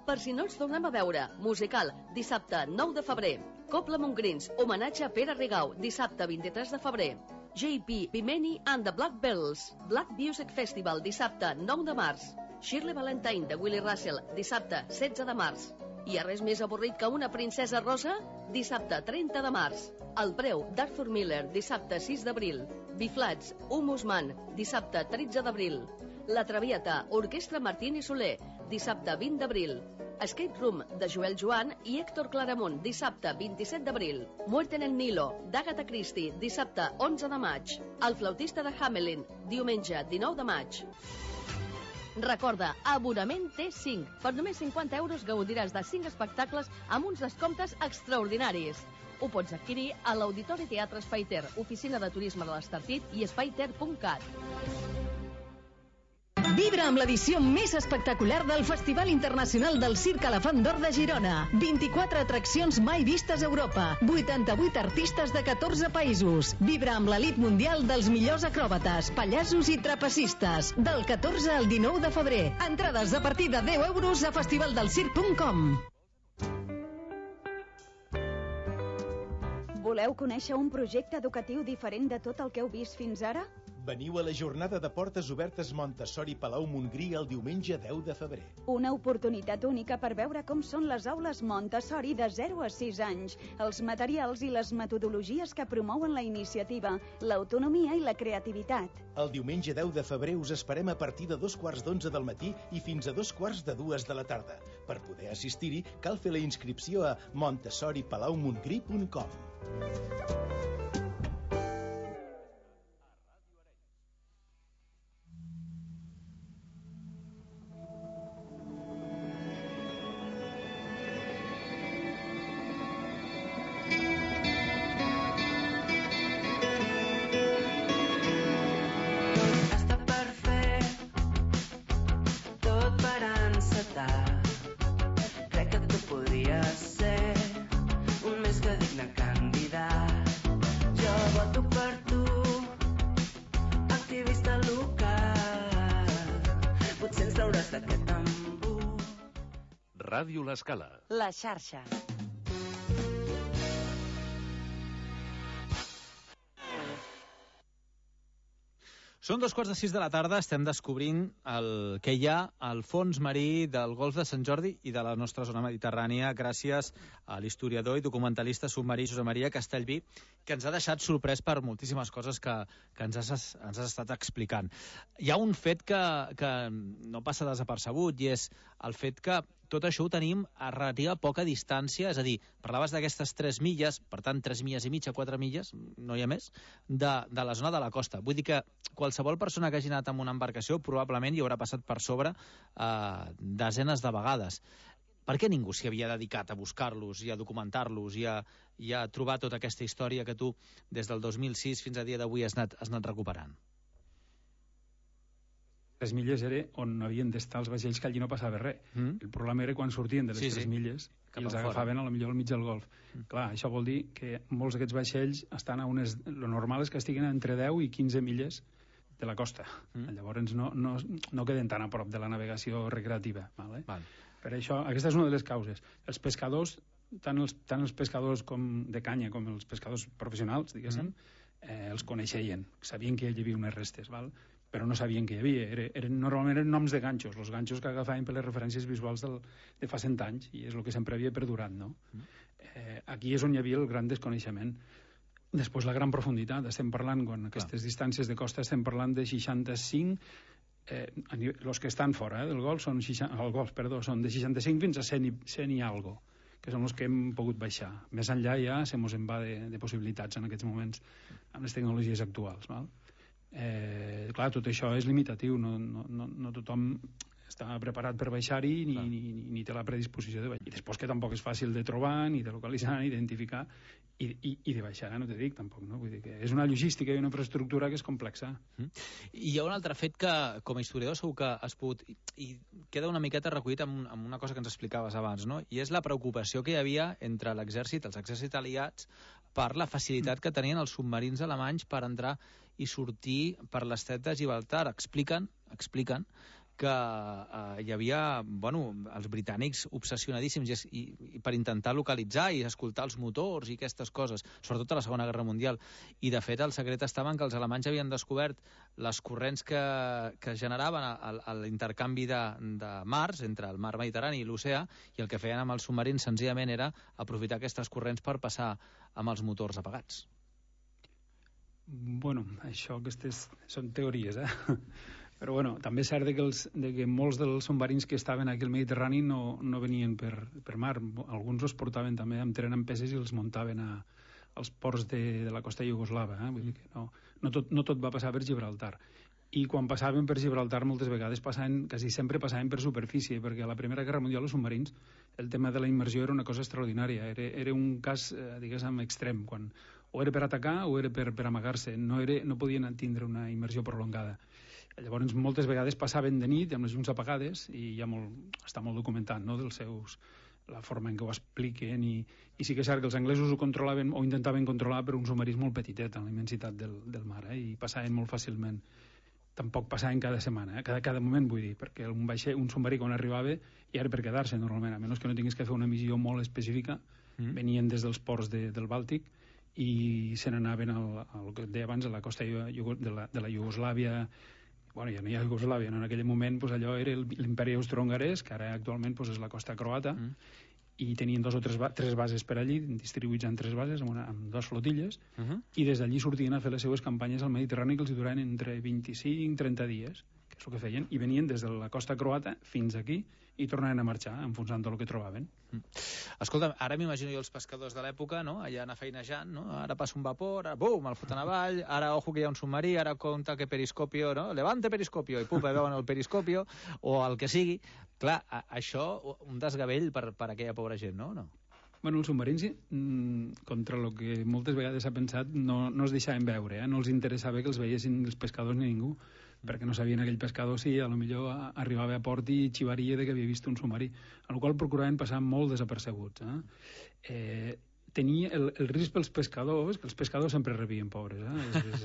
J: Per si no ens tornem a veure, musical, dissabte 9 de febrer. Copla Montgrins, homenatge a Pere Rigau, dissabte 23 de febrer. JP, Pimeni and the Black Bells, Black Music Festival, dissabte 9 de març. Shirley Valentine, de Willie Russell, dissabte 16 de març. Hi ha res més avorrit que una princesa rosa? Dissabte 30 de març. El preu d'Arthur Miller, dissabte 6 d'abril. Biflats, Humus Man, dissabte 13 d'abril. La Traviata, Orquestra Martín i Soler, dissabte 20 d'abril. Escape Room, de Joel Joan i Héctor Claramunt, dissabte 27 d'abril. Muerte en el Nilo, d'Agatha Christie, dissabte 11 de maig. El flautista de Hamelin, diumenge 19 de maig. Recorda, abonament T5. Per només 50 euros gaudiràs de 5 espectacles amb uns descomptes extraordinaris. Ho pots adquirir a l'Auditori Teatre Spyter, oficina de turisme de l'Estartit i spyter.cat.
K: Vibra amb l'edició més espectacular del Festival Internacional del Circ Elefant d'Or de Girona. 24 atraccions mai vistes a Europa. 88 artistes de 14 països. Vibra amb l'elit mundial dels millors acròbates, pallassos i trapecistes. Del 14 al 19 de febrer. Entrades a partir de 10 euros a festivaldelcirc.com.
L: Voleu conèixer un projecte educatiu diferent de tot el que heu vist fins ara?
M: Veniu a la jornada de portes obertes Montessori Palau Montgrí el diumenge 10 de febrer.
L: Una oportunitat única per veure com són les aules Montessori de 0 a 6 anys, els materials i les metodologies que promouen la iniciativa, l'autonomia i la creativitat.
M: El diumenge 10 de febrer us esperem a partir de 2:15 del matí i fins a 2:45 de la tarda. Per poder assistir-hi, cal fer la inscripció a montessoripalaumongrí.com.
C: Ràdio L'Escala.
B: La xarxa.
F: Són 2:45 de la tarda, estem descobrint el que hi ha al fons marí del Golf de Sant Jordi i de la nostra zona mediterrània gràcies a l'historiador i documentalista submarí Josep Maria Castellví, que ens ha deixat sorprès per moltíssimes coses que ens has estat explicant. Hi ha un fet que no passa desapercebut i és el fet que tot això ho tenim a relativa poca distància, és a dir, parlaves d'aquestes 3 milles, per tant 3 milles i mitja, 4 milles, no hi ha més, de la zona de la costa. Vull dir que qualsevol persona que hagi anat amb una embarcació probablement hi haurà passat per sobre desenes de vegades. Per què ningú s'hi havia dedicat a buscar-los i a documentar-los i a trobar tota aquesta història que tu des del 2006 fins a dia d'avui has anat recuperant?
I: 3 milles era on havien d'estar els vaixells, que allí no passava res. El problema era quan sortien de les 3 milles i els agafaven a la millor al mig del golf. Clar, això vol dir que molts d'aquests vaixells estan a unes... Lo normal és que estiguin entre 10 i 15 milles de la costa. Llavors no queden tan a prop de la navegació recreativa. Vale? Per això, aquesta és una de les causes. Els pescadors, tant els pescadors de canya com els pescadors professionals, diguéssim, els coneixien, sabien que hi havia unes restes, val? Però no sabien que hi havia. Normalment eren noms de ganxos, els ganxos que agafaven per les referències visuals de fa 100 anys, i és el que sempre havia perdurat, no? Aquí és on hi havia el gran desconeixement. Després, la gran profunditat. Estem parlant, quan aquestes distàncies de costa, estem parlant de 65... Els que estan fora del golf són de 65 fins a 100 i algo, que són els que hem pogut baixar. Més enllà ja se mos en va de possibilitats en aquests moments amb les tecnologies actuals, val? Clar, tot això és limitatiu, no tothom està preparat per baixar-hi ni té la predisposició de baixar. I després que tampoc és fàcil de trobar, ni de localitzar, ni d'identificar, i de baixar, no te dic tampoc, no? Vull dir que és una logística i una infraestructura que és complexa.
F: I hi ha un altre fet que, com a historiador, segur que has pogut... I queda una miqueta recollit amb una cosa que ens explicaves abans, no? I és la preocupació que hi havia entre l'exèrcit, els exèrcits aliats, per la facilitat que tenien els submarins alemanys per entrar i sortir per l'estret de Gibraltar. Expliquen que hi havia, els britànics obsessionadíssims i per intentar localitzar i escoltar els motors i aquestes coses, sobretot a la Segona Guerra Mundial. I, de fet, el secret estava en que els alemanys havien descobert les corrents que generaven l'intercanvi de mars entre el mar Mediterrani i l'oceà, i el que feien amb els submarins senzillament era aprofitar aquestes corrents per passar amb els motors apagats.
I: Això, aquestes són teories, Però també és cert que molts dels submarins que estaven aquí al Mediterrani no venien per mar. Alguns els portaven també amb tren amb peces i els muntaven als ports de la costa iugoslava. Vull dir que no tot va passar per Gibraltar. I quan passaven per Gibraltar moltes vegades quasi sempre passaven per superfície, perquè a la Primera Guerra Mundial els submarins, el tema de la immersió era una cosa extraordinària. Era un cas, diguéssim, extrem, quan o era per atacar o era per amagar-se. No podien tindre una immersió prolongada. Llavors, moltes vegades passaven de nit amb les llums apagades, i està molt documentat, no?, la forma en què ho expliquen, i sí que és cert que els anglesos ho controlaven o intentaven controlar per un submarí molt petitet en la immensitat del mar, i passaven molt fàcilment. Tampoc passaven cada setmana, cada moment, vull dir, perquè un submarí quan arribava ja era per quedar-se normalment, a menys que no tinguis que fer una missió molt específica. Venien des dels ports del Bàltic i se n'anaven al que et deia abans, a la costa de la Iugoslàvia. Ja no hi ha Iugoslàvia, en aquell moment allò era l'imperi austro-hongarès, que ara actualment és la costa croata, i tenien 2 o 3 bases per allí, distribuïts en 3 bases, amb 2 flotilles, i des d'allí sortien a fer les seues campanyes al Mediterrani, que els duraven entre 25 i 30 dies, que és el que feien, i venien des de la costa croata fins aquí, i tornaven a marxar, enfonsant tot el que trobaven.
F: Escolta, ara m'imagino jo els pescadors de l'època, no?, allà anar feinejant, no?, ara passa un vapor, bum, el foten avall, ara ojo que hi ha un submarí, ara compta que periscopio, no?, levante periscopio, i pupa, veuen el periscopio, o el que sigui. Clar, això, un desgavell per aquella pobra gent, no?
I: Els submarins, contra el que moltes vegades s'ha pensat, no es deixaven veure, no els interessava que els veiessin els pescadors ni ningú, perquè no sabien aquell pescador si a lo millor arribava a port i xivaria de que havia vist un submarí, al qual procuraven passar molt desapercebuts. Tenia el risc pels pescadors, que els pescadors sempre rebien, pobres,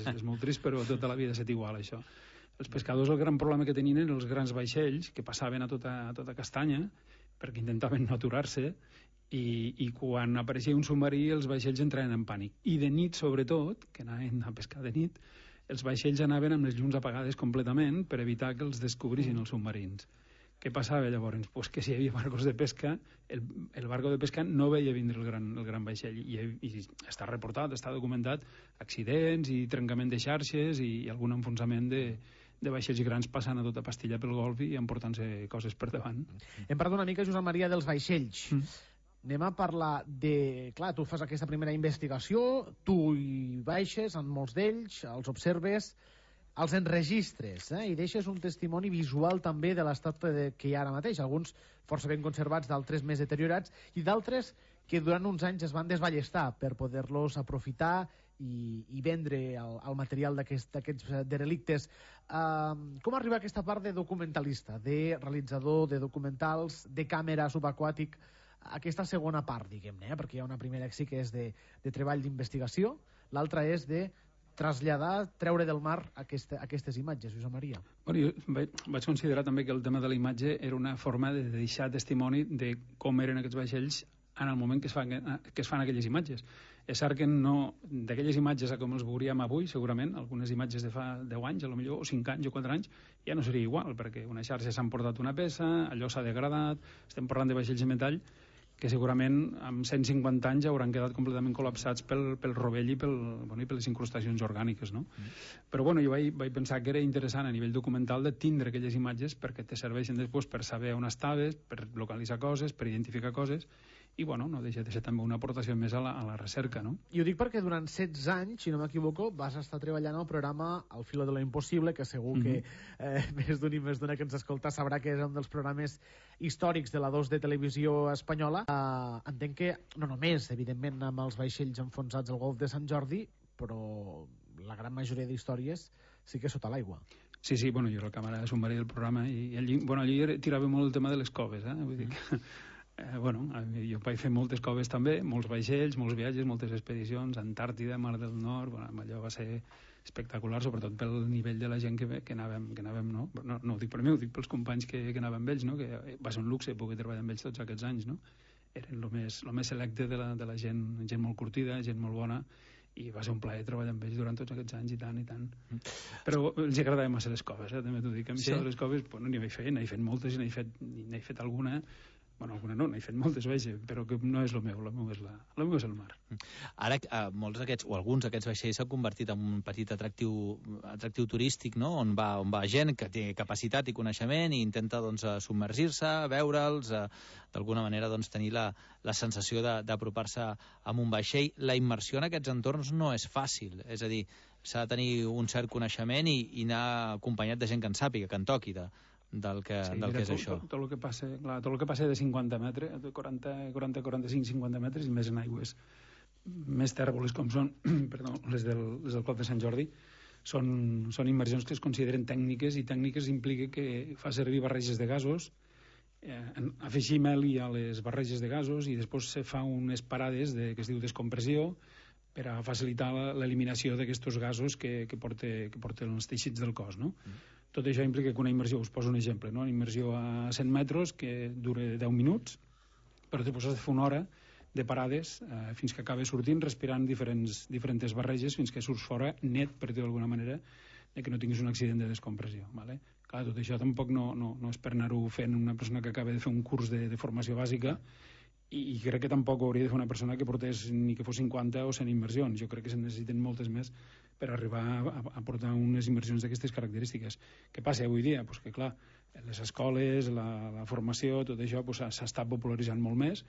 I: és molt trist, però tota la vida ha estat igual, això. Els pescadors, el gran problema que tenien eren els grans vaixells que passaven a tota castanya, perquè intentaven no aturar-se, i quan apareixia un submarí els vaixells entraven en pànic. I de nit, sobretot, que anaven a pescar de nit, els vaixells anaven amb les llums apagades completament per evitar que els descobrissin els submarins. Què passava llavors? Pues que si hi havia barcos de pesca, el barco de pesca no veia vindre el gran vaixell, i està reportat, està documentat accidents i trencament de xarxes i algun enfonsament de vaixells grans passant a tota pastilla pel golf i emportant-se coses per davant.
H: Hem parlat una mica, Josep Maria, dels vaixells. Anem a parlar de... Clar, tu fas aquesta primera investigació, tu hi baixes en molts d'ells, els observes, els enregistres, i deixes un testimoni visual també de l'estat que hi ha ara mateix, alguns força ben conservats, d'altres més deteriorats, i d'altres que durant uns anys es van desballestar per poder-los aprofitar i vendre el material d'aquests derelictes. Com arriba a aquesta part de documentalista, de realitzador de documentals, de càmera subaquàtic, aquesta segona part, diguem-ne, perquè hi ha una primera que sí que és de treball d'investigació, l'altra és de traslladar, treure del mar aquestes imatges, Josep Maria.
I: Bueno, jo vaig considerar també que el tema de la imatge era una forma de deixar testimoni de com eren aquests vaixells en el moment que es fan aquelles imatges. És cert que no, d'aquelles imatges a com els veuríem avui, segurament, algunes imatges de fa 10 anys, potser, o 5 anys o 4 anys, ja no seria igual, perquè una xarxa s'ha emportat una peça, allò s'ha degradat, estem parlant de vaixells de metall, que segurament amb 150 anys hauran quedat completament col·lapsats pel rovell i per les incrustacions orgàniques, no? Però bueno, jo vaig pensar que era interessant a nivell documental de tindre aquelles imatges perquè te serveixen després per saber on estaves, per localitzar coses, per identificar coses, i bueno, no deixa de ser també una aportació més a la recerca, no?
H: I ho dic perquè durant 16 anys, si no m'equivoco, vas estar treballant al programa Al filo de lo imposible, que segur que més d'un i més d'una que ens escolta sabrà que és un dels programes històrics de la 2 de televisió espanyola. Entenc que, no només, evidentment, amb els vaixells enfonsats al golf de Sant Jordi, però la gran majoria d'històries sí que sota l'aigua.
I: Sí, bueno, jo era el càmera de submarí del programa i allí tirava molt el tema de les coves, vull dir que... jo vaig fer moltes coves també, molts vaixells, molts viatges, moltes expedicions, Antàrtida, Mar del Nord, allò va ser espectacular, sobretot pel nivell de la gent que anàvem, no? No ho dic per mi, ho dic pels companys que anàvem amb ells, no? Que va ser un luxe poder treballar amb ells tots aquests anys, no? Eren el més selecte de la gent molt curtida, gent molt bona, i va ser un plaer treballar amb ells durant tots aquests anys i tant. Però els agradava massa les coves, també t'ho dic. A mi això de les coves, n'hi vaig fer, n'he fet moltes i n'he fet alguna. Bueno, alguna no, n'he fet moltes, però que no és el meu és el mar.
F: Ara, molts d'aquests, o alguns d'aquests vaixells s'han convertit en un petit atractiu turístic, no? On va gent que té capacitat i coneixement i intenta submergir-se, veure'ls, d'alguna manera tenir la sensació d'apropar-se amb un vaixell. La immersió en aquests entorns no és fàcil, és a dir, s'ha de tenir un cert coneixement i anar acompanyat de gent que en sàpiga, que en toqui del que és això.
I: Tot el que passa de 50 metres, de 40, 45, 50 metres i més en aigües més tèrboles com són les del Golf de Sant Jordi, són immersions que es consideren tècniques, i tècniques implica que fa servir barreges de gasos, afegir meli a les barreges de gasos i després se fa unes parades que es diu descompressió per a facilitar l'eliminació d'aquests gasos que porten els teixits del cos, no? Tot això implica que una immersió, us poso un exemple, no? Una immersió a 100 metres que dura 10 minuts, però després has de fer una hora de parades fins que acabes sortint, respirant diferents barreges fins que surts fora net, per dir-ho d'alguna manera, que no tinguis un accident de descompressió. Clar, tot això tampoc no és per anar-ho fent una persona que acaba de fer un curs de formació bàsica, i crec que tampoc ho hauria de fer una persona que portés ni que fos 50 o 100 immersions. Jo crec que se'n necessiten moltes més per arribar a portar unes immersions d'aquestes característiques. Què passa avui dia? Pues que clar, les escoles, la formació, tot això s'està popularitzant molt més,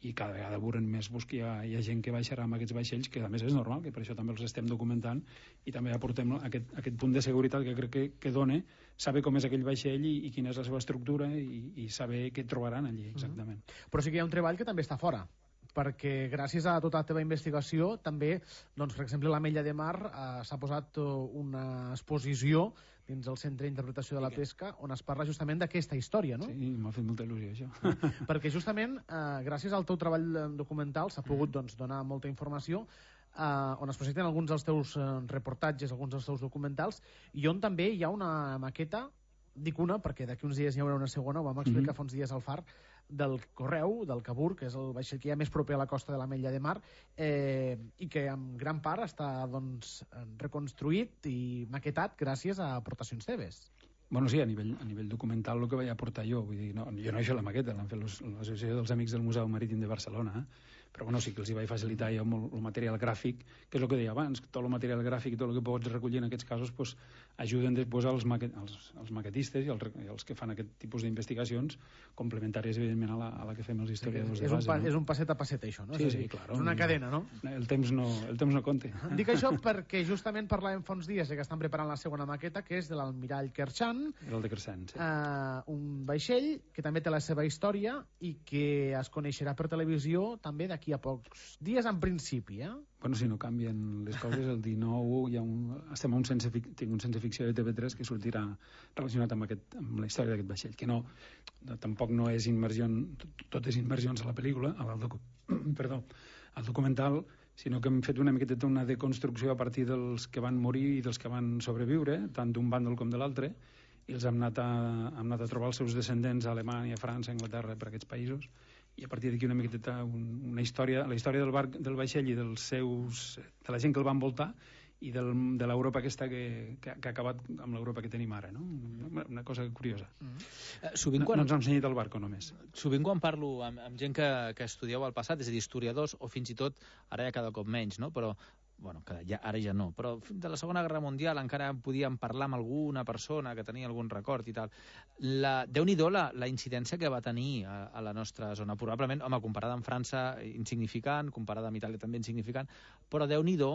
I: i cada vegada veurem més que hi ha gent que baixarà amb aquests vaixells, que a més és normal, que per això també els estem documentant, i també aportem aquest punt de seguretat que crec que dona saber com és aquell vaixell i quina és la seva estructura i saber què trobaran allí exactament.
H: Però sí que hi ha un treball que també està fora, perquè gràcies a tota la teva investigació també, per exemple, a l'Ametlla de Mar s'ha posat una exposició dins el Centre d'Interpretació de la Pesca on es parla justament d'aquesta història, no?
I: Sí, m'ha fet molta il·lusió això.
H: Perquè justament gràcies al teu treball documental s'ha pogut donar molta informació on es presenten alguns dels teus reportatges, alguns dels teus documentals, i on també hi ha una maqueta, dic una perquè d'aquí uns dies hi haurà una segona, ho vam explicar fa uns dies al Far, del Correu, del Cabur, que és el vaixell que hi ha més proper a la costa de l'Ametlla de Mar, i que en gran part està reconstruït i maquetat gràcies a aportacions teves.
I: Bueno, sí, a nivell documental el que vaig aportar jo, vull dir, jo no he fet la maqueta, l'han fet l'Associació dels Amics del Museu Marítim de Barcelona, però bueno, sí que els hi vaig facilitar jo molt el material gràfic, que és el que deia abans, tot el material gràfic i tot el que pots recollir en aquests casos pues, ajuden després als maquetistes i els que fan aquest tipus d'investigacions, complementàries, evidentment, a la que fem els historiadors de base.
H: És un passet a passet, això, no?
I: Sí, clar.
H: És una cadena, no?
I: El temps no compta.
H: Dic això perquè justament parlàvem fa uns dies que estan preparant la segona maqueta, que és de l'almirall Kerchan.
I: El de Kerchan, sí.
H: Un vaixell que també té la seva història i que es coneixerà per televisió també d'aquí a pocs dies en principi,
I: Bueno, si no canvien les coses, el 19 estem a tinc un sense ficció de TV3 que sortirà relacionat amb la història d'aquest vaixell, que tampoc no és immersió, tot és immersions a la pel·lícula, al documental, sinó que hem fet una miqueta una deconstrucció a partir dels que van morir i dels que van sobreviure, tant d'un bàndol com de l'altre, i els hem anat a trobar els seus descendents a Alemanya, França, Anglaterra, per aquests països, i a partir d'aquí una miqueta la història del vaixell i de la gent que el va envoltar i de l'Europa aquesta que ha acabat amb l'Europa que tenim ara, no? Una cosa curiosa. No ens han ensenyat el barco només.
F: Sovint quan parlo amb gent que estudieu el passat, és a dir, historiadors, o fins i tot, ara ja cada cop menys, no? Però ara ja no, però de la Segona Guerra Mundial encara podíem parlar amb alguna persona que tenia algun record i tal. Déu-n'hi-do la incidència que va tenir a la nostra zona. Probablement, home, comparada amb França, insignificant, comparada amb Itàlia també insignificant, però Déu-n'hi-do,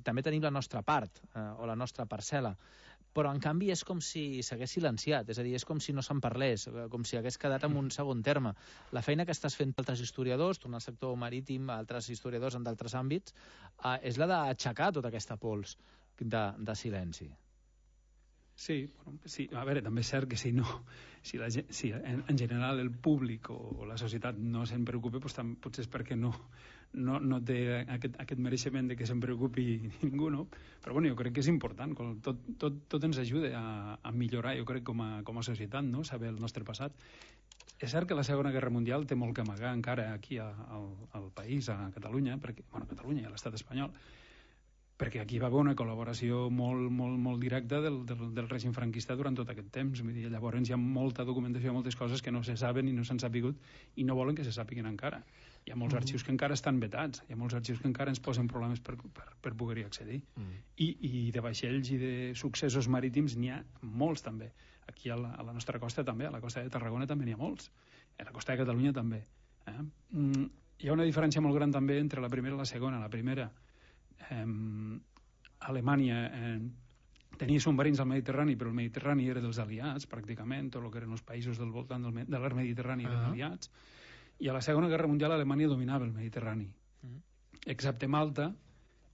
F: també tenim la nostra part, o la nostra parcel·la. Però, en canvi, és com si s'hagués silenciat, és a dir, és com si no se'n parlés, com si hagués quedat en un segon terme. La feina que estàs fent altres historiadors, tornar al sector marítim, altres historiadors en d'altres àmbits, és la d'aixecar tota aquesta pols de silenci.
I: Sí, a veure, també és cert que si en general el públic o la societat no se'n preocupa, potser és perquè no té aquest mereixement de que se'n preocupi ningú, no? Però bueno, jo crec que és important, tot ens ajuda a millorar, jo crec, com a societat, no? Saber el nostre passat. És cert que la Segona Guerra Mundial té molt que amagar encara aquí al país, a Catalunya, a Catalunya i a l'estat espanyol, perquè aquí va haver una col·laboració molt directa del règim franquista durant tot aquest temps. Vull dir, llavors hi ha molta documentació, moltes coses que no se saben i no s'han sapigut i no volen que se sàpiguen encara. Hi ha molts arxius que encara estan vetats, hi ha molts arxius que encara ens posen problemes per poder-hi accedir. I de vaixells i de successos marítims n'hi ha molts també. Aquí a la nostra costa també, a la costa de Tarragona també n'hi ha molts. A la costa de Catalunya també. Hi ha una diferència molt gran també entre la primera i la segona. La primera, Alemanya tenia submarins al Mediterrani, però el Mediterrani era dels aliats, pràcticament, tot el que eren els països del voltant de l'arc Mediterrani eren aliats, i a la Segona Guerra Mundial Alemanya dominava el Mediterrani, excepte Malta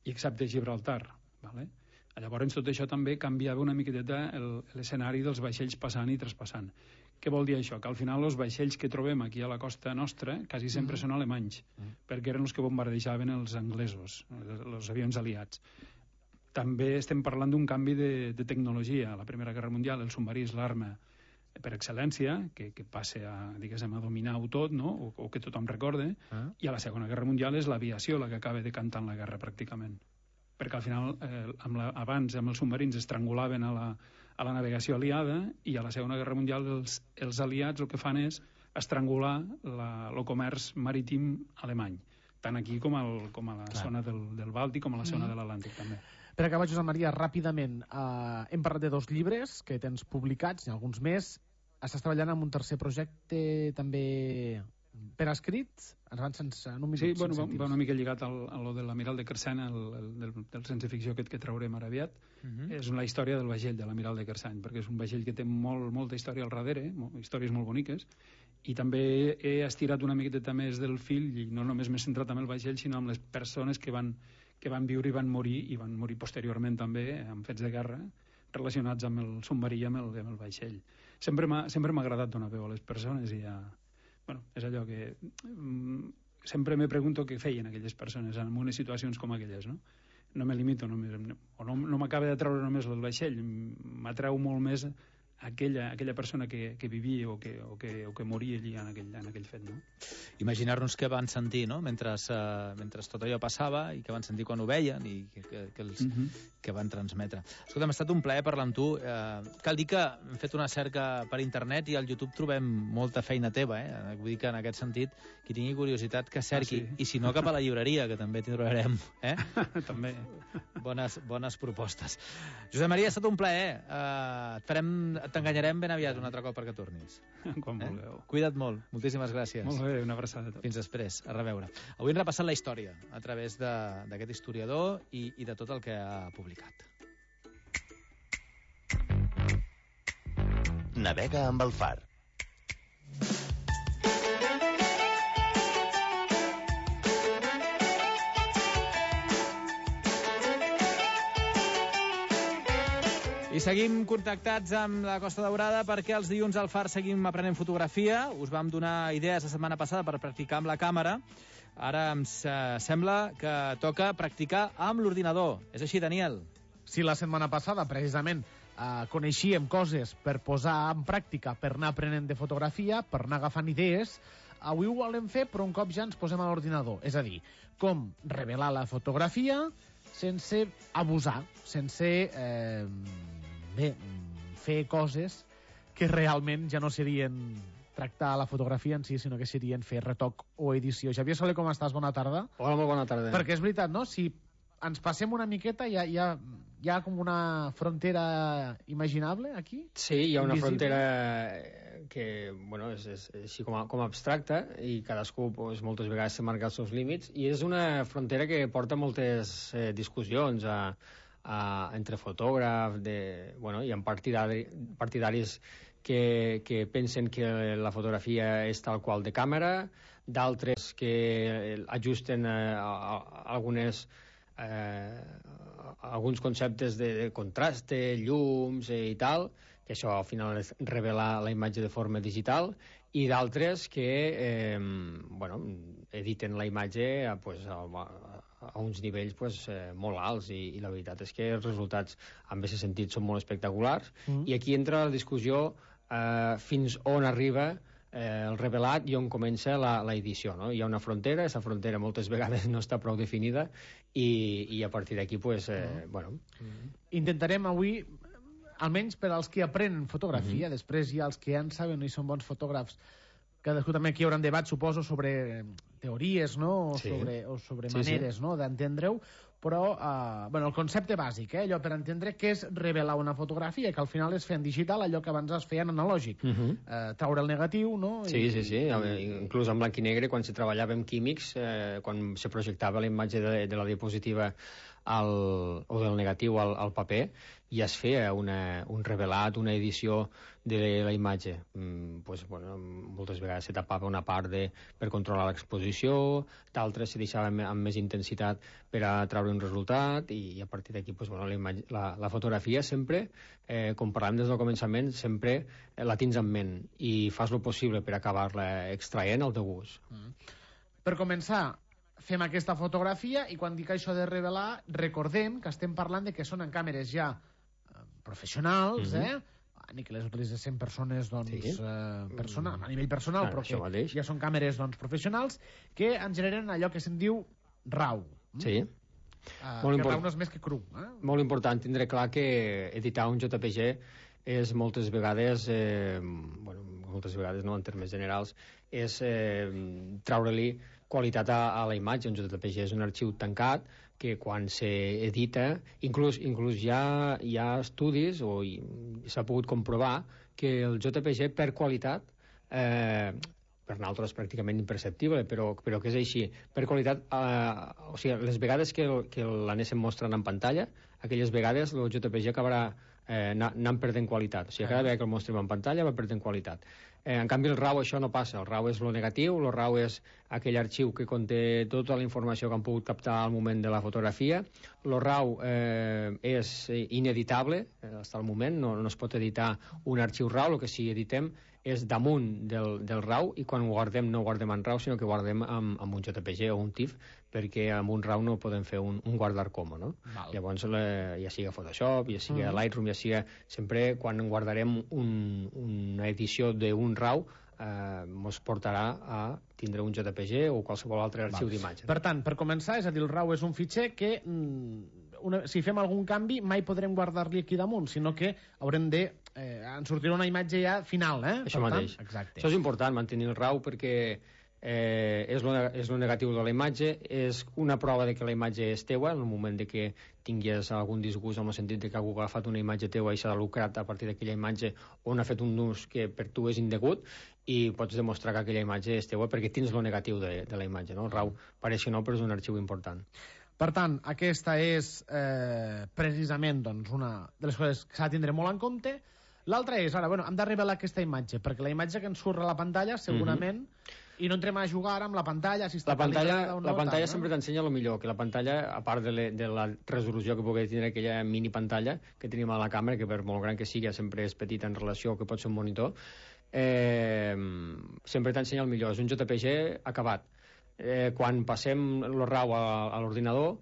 I: i excepte Gibraltar. Llavors tot això també canviava una miqueteta l'escenari dels vaixells passant i traspassant. Què vol dir això? Que al final els vaixells que trobem aquí a la costa nostra quasi sempre són alemanys, perquè eren els que bombardejaven els anglesos, els avions aliats. També estem parlant d'un canvi de tecnologia. A la Primera Guerra Mundial el submarí és l'arma per excel·lència, que passa a dominar-ho tot, no? O que tothom recorde, i a la Segona Guerra Mundial és l'aviació la que acaba decantant la guerra, pràcticament. Perquè al final, abans amb els submarins estrangulaven a la navegació aliada, i a la Segona Guerra Mundial els aliats el que fan és estrangular el comerç marítim alemany, tant aquí com a la zona del Bàltic, com a la zona de l'Atlàntic també.
H: Per acabar, Josep Maria, ràpidament, hem parlat de 2 llibres que tens publicats, i alguns més. Estàs treballant en un tercer projecte també per escrit? En un minut.
I: Sí, va una mica lligat a lo de l'Amiral de Kerchan, del sense ficció aquest que traurem ara aviat. És la història del vaixell de l'Amiral de Kerchan, perquè és un vaixell que té molta història al darrere, històries molt boniques, i també he estirat una miqueta més del fil, i no només m'he centrat en el vaixell, sinó en les persones que van viure i van morir posteriorment també en fets de guerra relacionats amb el submarí i amb el vaixell. Sempre m'ha agradat donar veu a les persones i és allò que sempre me pregunto què feien aquelles persones en unes situacions com aquelles, no? No me limito només, o no m'acaba de treure només el vaixell, m'atreu molt més aquella persona que vivia o que moria allí en aquell fet, no?
F: Imaginar-nos què van sentir, no?, mentre tot allò passava, i què van sentir quan ho veien, i què van transmetre. Escolta, m'ha estat un plaer parlar amb tu. Cal dir que hem fet una cerca per internet i al YouTube trobem molta feina teva, Vull dir que en aquest sentit, qui tingui curiositat que cerqui, i si no, cap a la llibreria, que també t'hi trobarem,
I: També.
F: Bones propostes. Josep Maria, ha estat un plaer. T'enganyarem ben aviat un altre cop perquè tornis.
I: Quan vulgueu.
F: Cuida't molt. Moltíssimes gràcies.
I: Molt bé, una abraçada a tots.
F: Fins després. A reveure. Avui hem repassat la història a través d'aquest historiador i de tot el que ha publicat.
E: Navega amb el far.
F: I seguim contactats amb la Costa Daurada perquè els dilluns al Far seguim aprenent fotografia. Us vam donar idees la setmana passada per practicar amb la càmera. Ara em sembla que toca practicar amb l'ordinador. És així, Daniel?
H: Sí, la setmana passada, precisament, coneixíem coses per posar en pràctica, per anar aprenent de fotografia, per anar agafant idees. Avui ho volem fer, però un cop ja ens posem a l'ordinador. És a dir, com revelar la fotografia sense abusar, sense fer coses que realment ja no serien tractar la fotografia en si, sinó que serien fer retoc o edició. Xavier Soler, com estàs? Bona tarda.
N: Hola, molt bona tarda.
H: Perquè és veritat, no? Si ens passem una miqueta, hi ha com una frontera imaginable aquí?
N: Sí, hi ha una frontera que, bueno, és així com abstracta, i cadascú moltes vegades se marca els seus límits, i és una frontera que porta moltes discussions entre fotògrafs, hi ha partidaris que pensen que la fotografia és tal qual de càmera, d'altres que ajusten alguns conceptes de contraste, llums i tal, que això al final és revelar la imatge de forma digital, i d'altres que editen la imatge a uns nivells molt alts, i la veritat és que els resultats en aquest sentit són molt espectaculars, i aquí entra la discussió fins on arriba el revelat i on comença l'edició, no? Hi ha una frontera, aquesta frontera moltes vegades no està prou definida, i a partir d'aquí,
H: Intentarem avui, almenys per als que aprenen fotografia, després hi ha els que ja en saben i són bons fotògrafs, cadascú també aquí hi haurà un debat, suposo, sobre teories, no? O sobre maneres, no?, d'entendre-ho, però el concepte bàsic, allò per entendre què és revelar una fotografia, que al final és fer en digital allò que abans es feia en analògic, traure el negatiu, no?
N: Sí, inclús en blanc i negre, quan se treballava amb químics, quan se projectava la imatge de la diapositiva o del negatiu al paper, ja es feia un revelat, una edició de la imatge. Moltes vegades se tapava una part per controlar l'exposició, d'altres se deixava amb més intensitat per a treure un resultat, i a partir d'aquí la fotografia sempre, com parlàvem des del començament, sempre la tens en ment i fas el possible per acabar-la extraient al teu gust.
H: Per començar, fem aquesta fotografia, i quan dic això de revelar, recordem que estem parlant de que són en càmeres ja professionals, ni que les utilitzessin persones a nivell personal, però que ja són càmeres professionals, que en generen allò que se'n diu RAW.
N: Sí.
H: Que RAW no és més que cru.
N: Molt important tindre clar que editar un JPG és moltes vegades, no, en termes generals, és treure-li qualitat a la imatge. Un JPG és un arxiu tancat que quan s'edita, inclús hi ha estudis, o s'ha pogut comprovar que el JPG per qualitat, per nosaltres pràcticament imperceptible, però que és així, per qualitat, o sigui, les vegades que l'anéssim mostrant en pantalla, aquelles vegades el JPG acabarà anant perdent qualitat. O sigui, cada vegada que el mostrem en pantalla va perdent qualitat. En canvi, el RAW això no passa. El RAW és el negatiu, el RAW és aquell arxiu que conté tota la informació que han pogut captar al moment de la fotografia. El RAW és ineditable, fins al moment, no es pot editar un arxiu RAW, el que sí editem és damunt del RAW, i quan ho guardem no ho guardem en RAW, sinó que guardem amb un JPG o un TIFF, perquè amb un RAW no podem fer un guardar como, no? Llavors, ja sigui Photoshop, ja sigui Lightroom, ja sigui... Sempre quan guardarem una edició d'un RAW, ens portarà a tindre un JPG o qualsevol altre arxiu d'imatge.
H: Per tant, per començar, és a dir, el RAW és un fitxer que si fem algun canvi mai podrem guardar-li aquí damunt, sinó que haurem de... ens sortirà una imatge ja final,
N: Això mateix.
H: Exacte.
N: Això és important, mantenir el RAW, perquè és lo negatiu de la imatge, és una prova de que la imatge és teua, en el moment de que tinguis algun disgust en el sentit de que algú ha agafat una imatge teua i s'ha lucrat a partir d'aquella imatge on ha fet un ús que per tu és indegut, i pots demostrar que aquella imatge és teua perquè tens lo negatiu de la imatge, no? El RAW pareix que no, però és un arxiu important.
H: Per tant, aquesta és precisament una de les coses que s'ha de tindre molt en compte. L'altra és, ara, hem de revelar aquesta imatge, perquè la imatge que ens surt a la pantalla, segurament, i no entrem a jugar amb la pantalla, si està
N: la pantalla sempre t'ensenya el millor, que la pantalla, a part de la resolució que pugui tindre aquella mini pantalla que tenim a la càmera, que per molt gran que sigui sempre és petita en relació que pot ser un monitor, sempre t'ensenya el millor, és un JPG acabat. Quan passem el RAW a l'ordinador,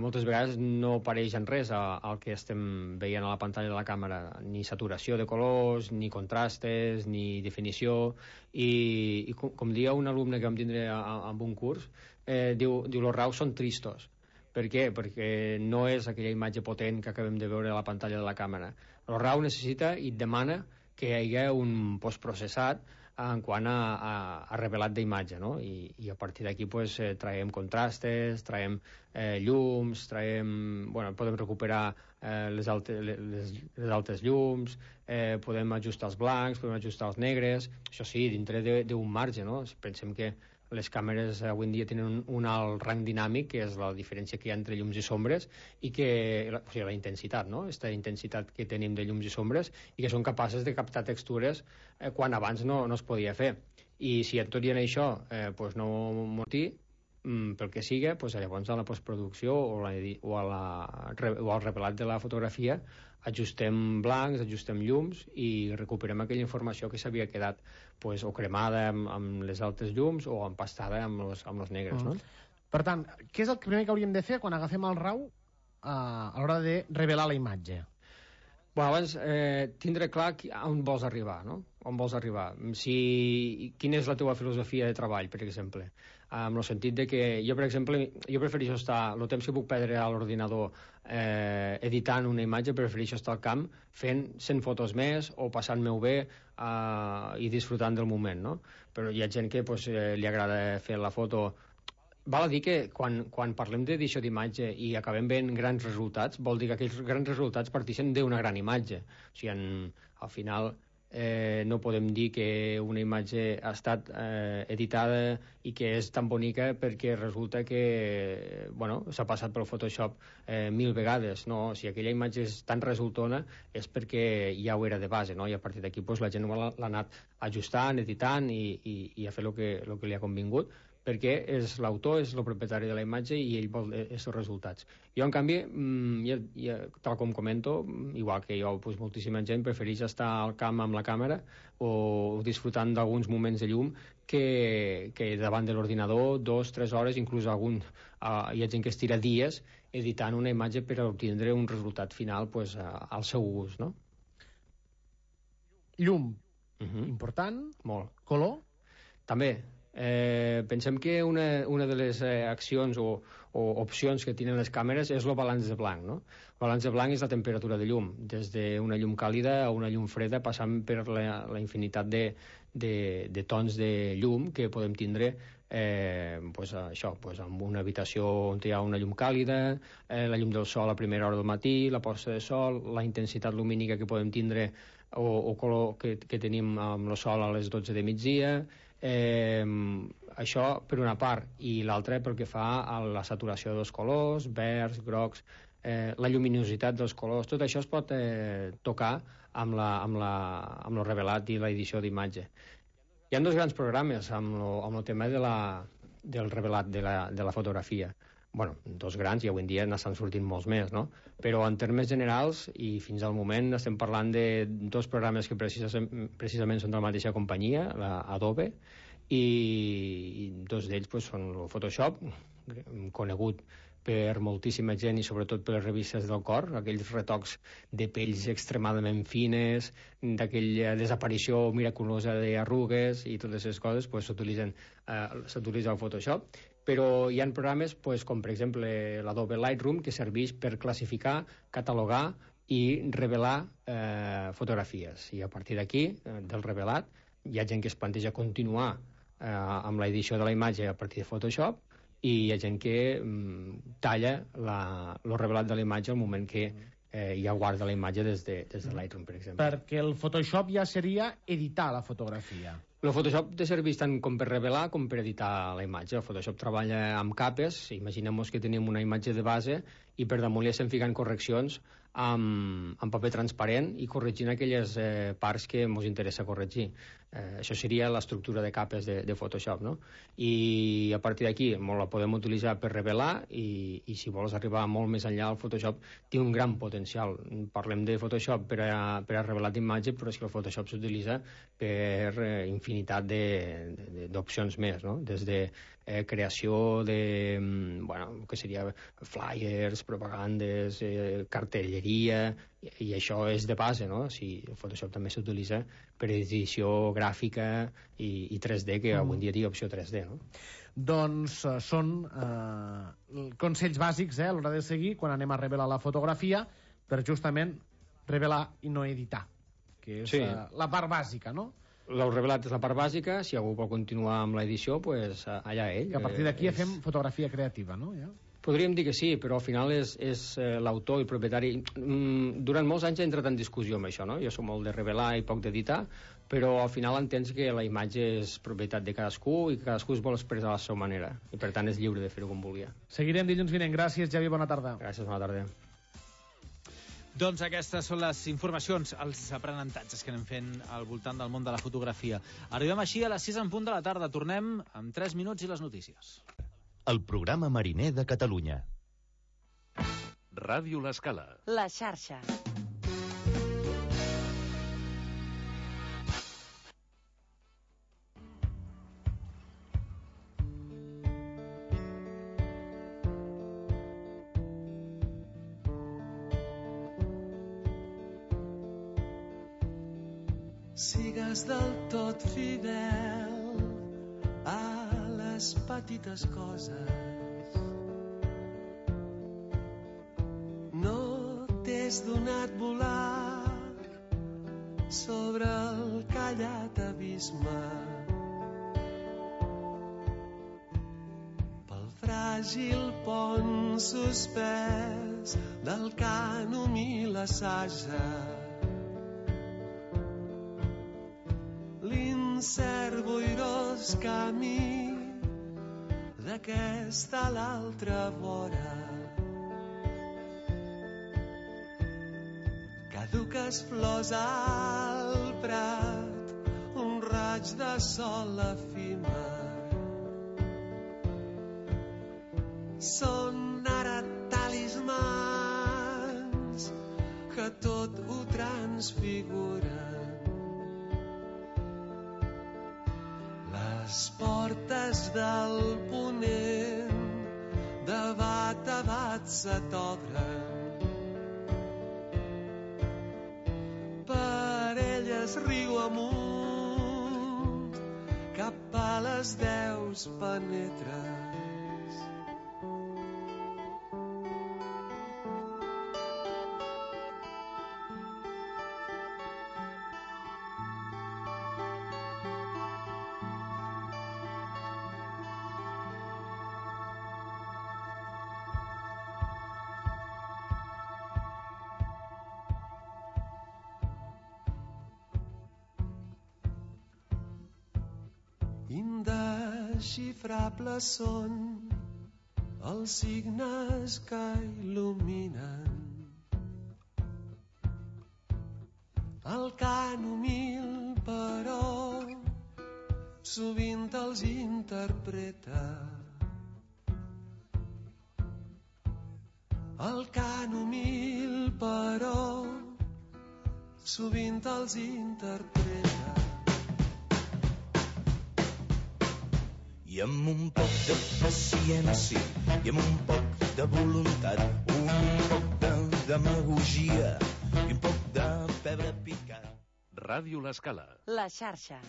N: moltes vegades no apareix en res el que estem veient a la pantalla de la càmera, ni saturació de colors, ni contrastes, ni definició, i com dia un alumne que vam tindre en un curs, diu els RAW són tristos. Per què? Perquè no és aquella imatge potent que acabem de veure a la pantalla de la càmera. El RAW necessita i demana que hi hagi un postprocessat en quant a revelat d'imatge, no? I a partir d'aquí traiem contrastes, traiem llums, podem recuperar les altes llums, podem ajustar els blancs, podem ajustar els negres, això sí, dintre d'un marge, no? Pensem que les càmeres avui en dia tenen un alt rang dinàmic, que és la diferència que hi ha entre llums i sombres, i la intensitat, no? Aquesta intensitat que tenim de llums i sombres, i que són capaces de captar textures quan abans no es podia fer. I si tot i en això no mortir, pel que siga, llavors a la postproducció o al revelat de la fotografia ajustem blancs, ajustem llums i recuperem aquella informació que s'havia quedat o cremada amb les altes llums o empastada amb els negres, no?
H: Per tant, què és el primer que hauríem de fer quan agafem el RAW a l'hora de revelar la imatge?
N: Abans, tindre clar on vols arribar, no? On vols arribar. Quina és la teva filosofia de treball, per exemple? En el sentit de que jo, per exemple, prefereixo estar el temps que puc perdre a l'ordinador editant una imatge, prefereixo estar al camp fent 100 fotos més o passant-me-ho bé i disfrutant del moment, no? Però hi ha gent que li agrada fer la foto. Val a dir que quan parlem d'edició d'imatge i acabem veient grans resultats, vol dir que aquells grans resultats parteixen d'una gran imatge. O sigui, al final no podem dir que una imatge ha estat editada i que és tan bonica perquè resulta que s'ha passat pel Photoshop 1000 vegades. No, si aquella imatge és tan resultona és perquè ja ho era de base, no? I a partir d'aquí la gent l'ha anat ajustant, editant i a fer el que li ha convingut, perquè l'autor és el propietari de la imatge i ell vol els resultats. Jo, en canvi, tal com comento, igual que jo, moltíssima gent prefereix estar al camp amb la càmera o disfrutant d'alguns moments de llum que davant de l'ordinador 2-3 hores, inclús hi ha gent que es tira dies editant una imatge per obtindre un resultat final al seu gust, no?
H: Llum, important.
N: Molt.
H: Color?
N: També. Pensem que una de les accions o opcions que tenen les càmeres és el balanç de blanc, no? El balanç de blanc és la temperatura de llum, des d'una llum càlida a una llum freda, passant per la infinitat de tons de llum que podem tindre en una habitació on hi ha una llum càlida, la llum del sol a primera hora del matí, la posta de sol, la intensitat lumínica que podem tindre o color que tenim amb el sol a les 12 de migdia. Això per una part, i l'altra pel que fa a la saturació dels colors, verds, grocs, la lluminositat dels colors, tot això es pot tocar amb el revelat i l'edició d'imatge. Hi ha dos grans programes amb el tema del revelat de la fotografia. dos grans, i avui en dia n'estan sortint molts més, no? Però en termes generals, i fins al moment estem parlant de dos programes que precisament són de la mateixa companyia, l'Adobe, i dos d'ells són el Photoshop, conegut per moltíssima gent i sobretot per les revistes del cor, aquells retocs de pells extremadament fines, d'aquella desaparició miraculosa d'arrugues i totes aquestes coses, s'utilitza el Photoshop. Però hi ha programes com per exemple l'Adobe Lightroom, que serveix per classificar, catalogar i revelar fotografies. I a partir d'aquí, del revelat, hi ha gent que es planteja continuar amb l'edició de la imatge a partir de Photoshop, i hi ha gent que talla el revelat de la imatge al moment que ja guarda la imatge des de Lightroom, per exemple.
H: Perquè el Photoshop ja seria editar la fotografia.
N: El Photoshop té serveix tant com per revelar com per editar la imatge. El Photoshop treballa amb capes. Imaginem que tenim una imatge de base i per damunt li estem ficant correccions amb paper transparent i corregint aquelles parts que ens interessa corregir. Això seria l'estructura de capes de Photoshop, no? I a partir d'aquí la podem utilitzar per revelar i si vols arribar molt més enllà, el Photoshop té un gran potencial. Parlem de Photoshop per a revelar d'imatge, però és que el Photoshop s'utilitza per infinitat d'opcions més, no? Des de creació de, que seria flyers, propagandes, cartelleria, i això és de base, no? El Photoshop també s'utilitza per edició gràfica i 3D, que avui en dia té opció 3D, no?
H: Doncs són consells bàsics a l'hora de seguir quan anem a revelar la fotografia, per justament revelar i no editar, que és la part bàsica, no?
N: El revelat és la part bàsica. Si algú vol continuar amb l'edició, allà ell.
H: Que a partir d'aquí fem fotografia creativa, no? Ja?
N: Podríem dir que sí, però al final és l'autor i el propietari. Durant molts anys he entrat en discussió amb això, no? Jo soc molt de revelar i poc d'editar, però al final entens que la imatge és propietat de cadascú i que cadascú es vol expressar a la seva manera, i per tant és lliure de fer-ho com volia.
H: Seguirem dilluns vinent. Gràcies, Javi, bona tarda.
N: Gràcies, bona tarda.
F: Doncs aquestes són les informacions, els aprenentatges que anem fent al voltant del món de la fotografia. Arribem així a les 6 en punt de la tarda. Tornem en 3 minuts i les notícies.
E: El programa mariner de Catalunya.
C: Ràdio L'Escala.
B: La xarxa.
O: Sigues del tot fidel a les petites coses. No t'és donat volar sobre el callat abisme. Pel fràgil pont suspès del cànom i la saja. L'incert boirós camí d'aquesta a l'altra vora. Caduques flors al prat, un raig de sol efímer. Són ara talismans que tot ho transfiguren. Les portes del ponent de bat a bat se t'obren. Per elles riu amunt, cap a les 10 penetres. Indesxifrables són els signes que il·luminen el cant humil, però sovint els interpreta el cant humil, però sovint els interpreta.
P: I amb un poc de paciència i amb un poc de voluntat, un poc de demagogia i un poc de pebre picat.
C: Ràdio L'Escala.
B: La xarxa.